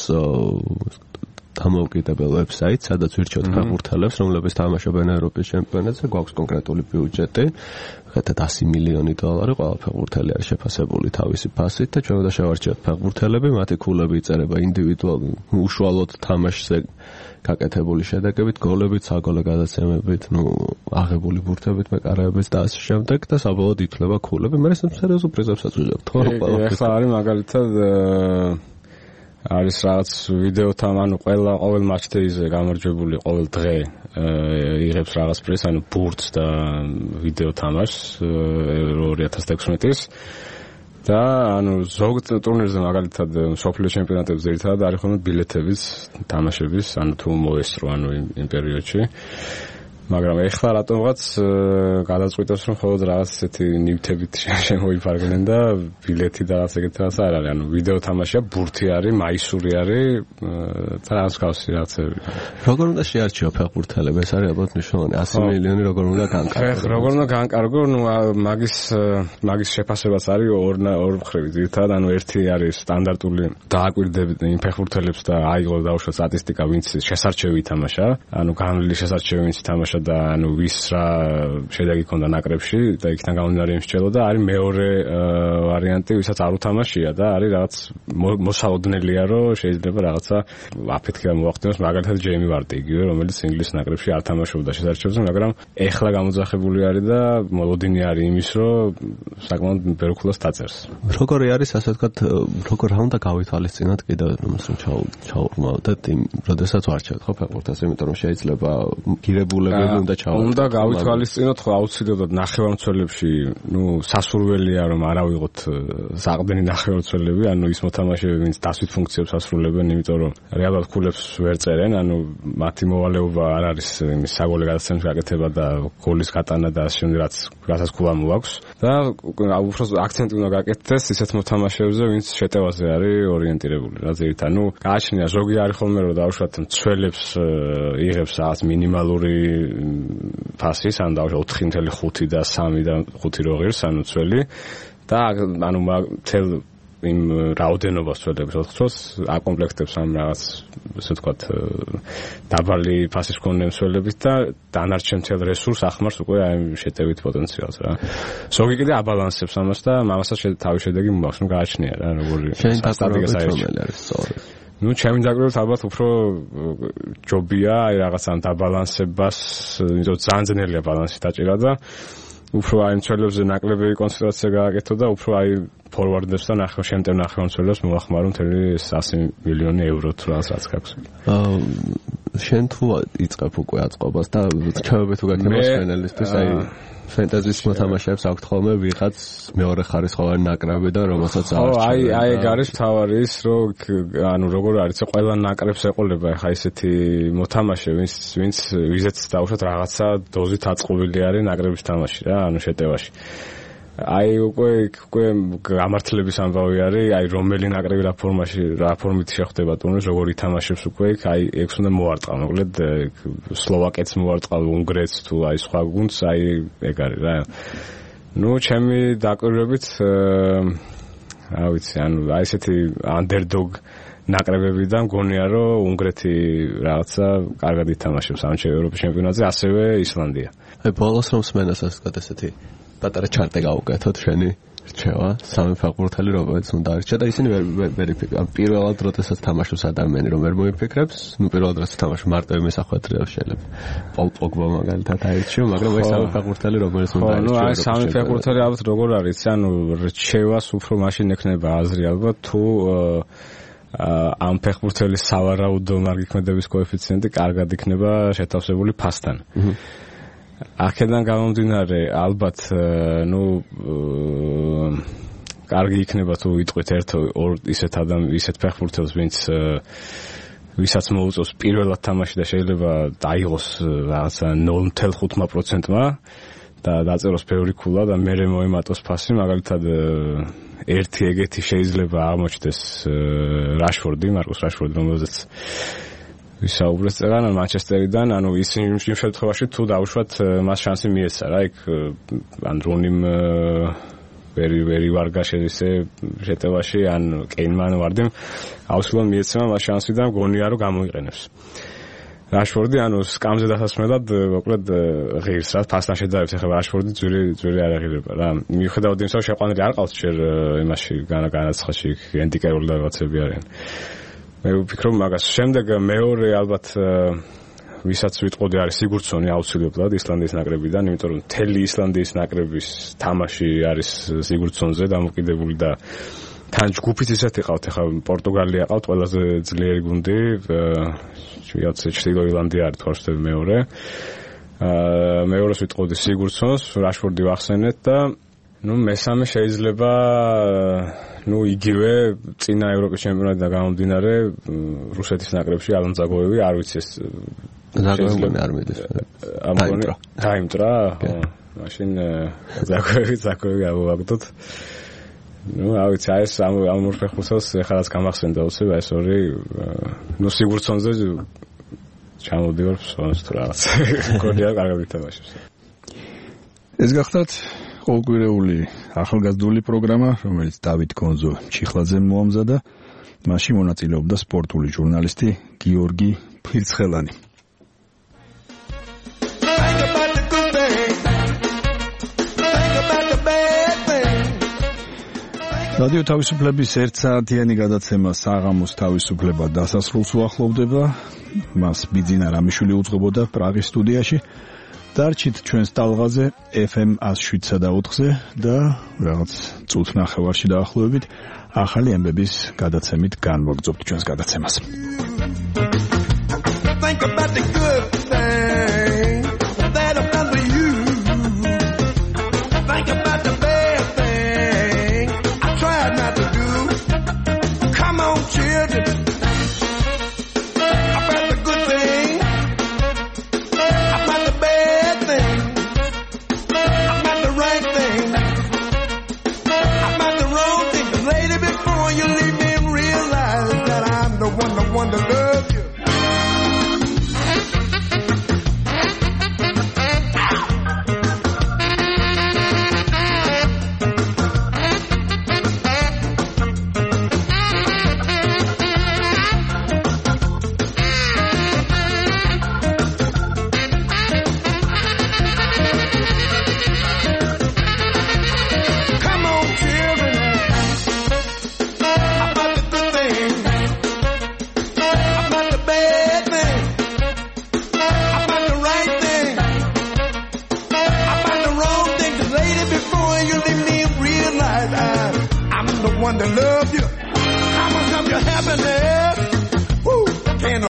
დამოუკიდებელ ვებსაიტს, სადაც ვირჩევთ ფეხბურთელებს, რომლებიც თამაშობენ ევროპის ჩემპიონატზე, გვაქვს კონკრეტული ბიუჯეტი, ხეთად ასი მილიონი დოლარი, ყველა ფეხბურთელი არის შეფასებული თავისი ფასით და ჩვენ უნდა შევარჩიოთ ფეხბურთელები, მათი ქულები იწერება ინდივიდუალურ უშუალოდ თამაშზე გაკეთებული შედეგებით, გოლებით, საგოლე გადაცემებით, ნუ აღებული ბურთებით, მეკარეებით და ასე შემდეგ და საბოლოოდ ითვლება ქულები, მაგრამ ეს სერიოზულ პრიზებსაც ვიღებთ, ხო? ეხლა არის მაგალითად არის რაღაც ვიდეოთან, ანუ ყველა ყოველ მატჩდეიზე გამარჯვებული ყოველ დღე იღებს რაღაც პრიზს, ანუ ბურთს და ვიდეო თამაშს ორი ათას თექვსმეტის და ანუ ზოგ ტურნირზე მაგალითად სოფლიო ჩემპიონატებზე ერთად არის ხოლმე ბილეთების თამაშების, ანუ თუ მოესწრო ანუ იმ პერიოდში. მაგრამ ეხლა რატომღაც გადაწყვიტეს რომ მხოლოდ რაღაც ესეთი ნივთებით შემოიფარგლენ და ბილეთი და რაღაც ეგეთი რაღაც არ არის. ანუ ვიდეო თამაშია, ბურთი არის, მაისური არის და რაღაც ხავსი რაღაცები. როგორ უნდა შეარჩიო ფეხბურთელები? ეს არის ალბათ მნიშვნელოვანი. ასი მილიონი როგორ უნდა განკარგო? როგორ უნდა განკარგო? ნუ მაგის მაგის შეფასებაც არის ორ ორ მხრივ ძირითადად, ანუ ერთი არის სტანდარტული დააკვირდებით იმ ფეხბურთელებს და აიღო დაუშვათ სტატისტიკა, ვინც შესარჩევი ითამაშა, ანუ განვლილი შესარჩევი ვინც ითამაშა და ანუ ვის რა შედეგი ჰქონდა ნაკრებში და იქიდან გამომდინარე იმის შეძლო და არის მეორე ვარიანტი, ვისაც არ უთამაშია და არის რაღაც მოსალოდნელია რომ შეიძლება რაღაცა აფეთქება მოახდინოს, მაგალითად ჯეიმი ვარდი იგივე, რომელიც ინგლისის ნაკრებში არ თამაშობდა შესარჩევზე, მაგრამ ეხლა გამოძახებული არის და მოლოდინი არის იმის რომ საკმაოდ ბევრ ქულას დაწერს. როგორი არის ასე ვთქვათ, როგორ რა უნდა გავითვალისწინოთ კიდევ რომ ჩაურმავდეთ იმ როდესაც ვარჩევთ ხო ფეხბურთას, იმიტომ რომ შეიძლება გირებულები უნდა ჩავარდეთ. უნდა გავითვალისწინოთ ხო აუცილებლად ნახევარმცველებში, ნუ სასურველია რომ არ ავიღოთ საყრდენი ნახევარმცველები, ანუ ის მოთამაშეები, ვინც დასვით ფუნქციებს ასრულებენ, იმიტომ რომ რეალურად ქულებს ვერ წერენ, ანუ მათი მოვალეობა არ არის იმის საგოლე გადაცემის გაკეთება და გოლის გატანა და ასე შემდეგ, რაც რასაც ქულა მოაქვს და უფრო აქცენტი უნდა გაკეთდეს ისეთ მოთამაშეებზე, ვინც შეტევაზე არის ორიენტირებული. რა ზირით, ანუ გააჩნია ზოგი არის ხოლმე რომ დაუშვათ მცველებს იღებს რაღაც მინიმალური ფასის, ანუ დავშვა ოთხი ნული ხუთი და სამი და ხუთი რო ღირს, ანუ ცველი და ანუ თელ იმ რაოდენობას ცველებს ოთხ წელს აკომპლექტებს ამ რაღაც ესე ვთქვათ დაბალი ფასის მქონე მცველებით და დანარჩენ თელ რესურს ახმარს უკვე აი შეტევით პოტენციალს რა. ზოგი კიდე აბალანსებს ამას და ამასაც თავის შედეგი მოაქვს, ნუ გააჩნია რა როგორი სტატისტიკა არის სწორედ. ნუ ჩემი დაკვირვებით ალბათ უფრო ჯობია აი რაღაც ამ დაბალანსებას, იმიტომ ძალიან ძნელია ბალანსი დაჭირა და უფრო აი მცველებზე ნაკლებები კონცენტრაცია გააკეთო და უფრო აი ფორვარდებს და ნახევარ შემტევ ნახევარმცველებს მოახმარო მთელი ასი მილიონი ევრო თუ რაღაც რაც გაქვს. აა შენ თუ იწყებ უკვე აწყობას და ჩავები თუ გაქნება სპენელისთვის აი ფენტეზის მოთამაშეებს აქვთ ხოლმე ვიღაც მეორე ხარისხოვანი ნაკრებიდან რომელსაც არის. ხო, აი აი ეგ არის თავარი ის რომ ანუ როგორ არის ყველა ნაკრებს ეყოლება ხა ისეთი მოთამაშე ვინც ვინც ვიზეც დაუშვათ რაღაცა დოზით აწყობილი არის ნაკრების თამაში რა ანუ შეტევაში. აი უკვე უკვე გამართლების ამბავი არის აი რომელი ნაკრები რა ფორმაში რა ფორმით შეხვდება ტურნირს როგორ ითამაშებს უკვე აი ექვს უნდა მოარტყა მოკლედ სლოვაკეთს მოარტყა უნგრეთს თუ აი სხვა გუნდს აი ეგ არის რა ნუ ჩემი დაკვირვებით რა ვიცი ანუ აი ესეთი underdog ნაკრებებიდან მგონია რომ უნგრეთი რაღაცა კარგად ითამაშებს ამ ევროპის ჩემპიონატზე ასევე ისლანდია აი ბოლოს რომ სმენასაც გადასეთი პატარა ჩარტე გავუკეთოთ შენი რჩევა სამი ფეხბურთელი რომელიც უნდა არჩა და ისინი ვერ ვერ იფიქრებენ პირველად როდესაც თამაშობს ადამიანი რომ ვერ მოიფიქრებს ნუ პირველად როდესაც თამაშობს მარტივი მესახვედრია შეიძლება პოლ პოგბა მაგალითად აირჩიო მაგრამ ეს სამი ფეხბურთელი რომელიც უნდა არჩიო ნუ აი სამი ფეხბურთელი ალბათ როგორ არის ანუ რჩევას უფრო მაშინ ექნება აზრი ალბათ თუ ამ ფეხბურთელის სავარაუდო მარგიქმედების კოეფიციენტი კარგად იქნება შეთავსებული ფასთან აქედან გამომდინარე ალბათ ნუ კარგი იქნება თუ ვიტყვით ერთ ორ ისეთ ადამ ისეთ ფეხბურთელს ვინც ვისაც მოუწევს პირველად თამაში და შეიძლება დაიღოს რაღაცა ნულ ათეული პროცენტმა და დაწეროს ბევრი ქულა და მერე მოემატოს ფასი მაგალითად ერთი ეგეთი შეიძლება აღმოჩნდეს რაშფორდი მარკუს რაშფორდი რომელზეც ვისაუბრეთ წეგან მანჩესტერიდან ანუ ის იმ შემთხვევაში თუ დაუშვათ მას შანსი მიეცა რა იქ ან რუნიმ ვერი ვერი ვარგა შეისე შეტევაში ან კეინმან ვარდიმ აუცილებლად მიეცემა მას შანსი და მგონია რომ გამოიყენებს რაშფორდი ანუ სკამზე დასასმელად მოკლედ ღირს რა ფასთან შედარებით ახლა რაშფორდი ძვირი ძვირი არ აღირება რა მიუხედავად იმისა რომ შეყვანილი არ ყავს ჯერ იმაში განაცხადში ენდიკერული რაღაცები არიან მე ვფიქრობ მაგას შემდეგ მეორე ალბათ ვისაც ვიტყოდი არის სიგურდსონი აუცილებლად ისლანდიის ნაკრებიდან იმიტომ რომ თელი ისლანდიის ნაკრების თამაში არის სიგურდსონზე დამოკიდებული და თან ჯგუფიც ისეთი ყავთ ახლა პორტუგალია ყავთ ყველაზე ძლიერი გუნდი ვიაც ჩრდილო ირლანდია არის თორშტები მეორე მეორეს ვიტყოდი სიგურდსონს რაშფორდი ვახსენეთ და ნუ მესამე შეიძლება ნუ იგივე წინა ევროპის ჩემპიონატიდან გამომდინარე რუსეთის ნაკრებში ალან ზაგოევი არ ვიცი ეს ზაგოევი არ მიდის ამბონი დაიმტრა მაშინ ზაგოევი ზაგოევი ავაგდოთ ნუ არ ვიცი აი ეს ამ ამ ორ ფეხბურთელს ეხლაც გამახსენდა უცებ ეს ორი ნუ სიგურდსონზე ჩამოდივარ ფსონს თუ რაღაც გონია კარგად ითამაშებს ეს გახდათ ყოველკვირეული ახალგაზრდული პროგრამა, რომელიც დავით კონზო ჩიხლაძემ მოამზადა, მასში მონაწილეობდა სპორტული ჟურნალისტი გიორგი ფირცხელანი. რადიო თავისუფლების ერთ საათიანი გადაცემა საღამოს თავისუფლება დასასრულს უახლოვდება. მას ბიძინა რამიშვილი უძღვებოდა პრაღის სტუდიაში. დარჩით ჩვენს ტალღაზე ეფ ემ one oh seven და ოთხზე და რაღაც წუთ ნახევარში დაახლოებით ახალი ამბების გადაცემით განვაგრძობთ ჩვენს გადაცემას. Think about the good thing that I've done for you. Think about the bad thing I tried not to do. Come on, children. To love you. One to love you. How much of your happiness?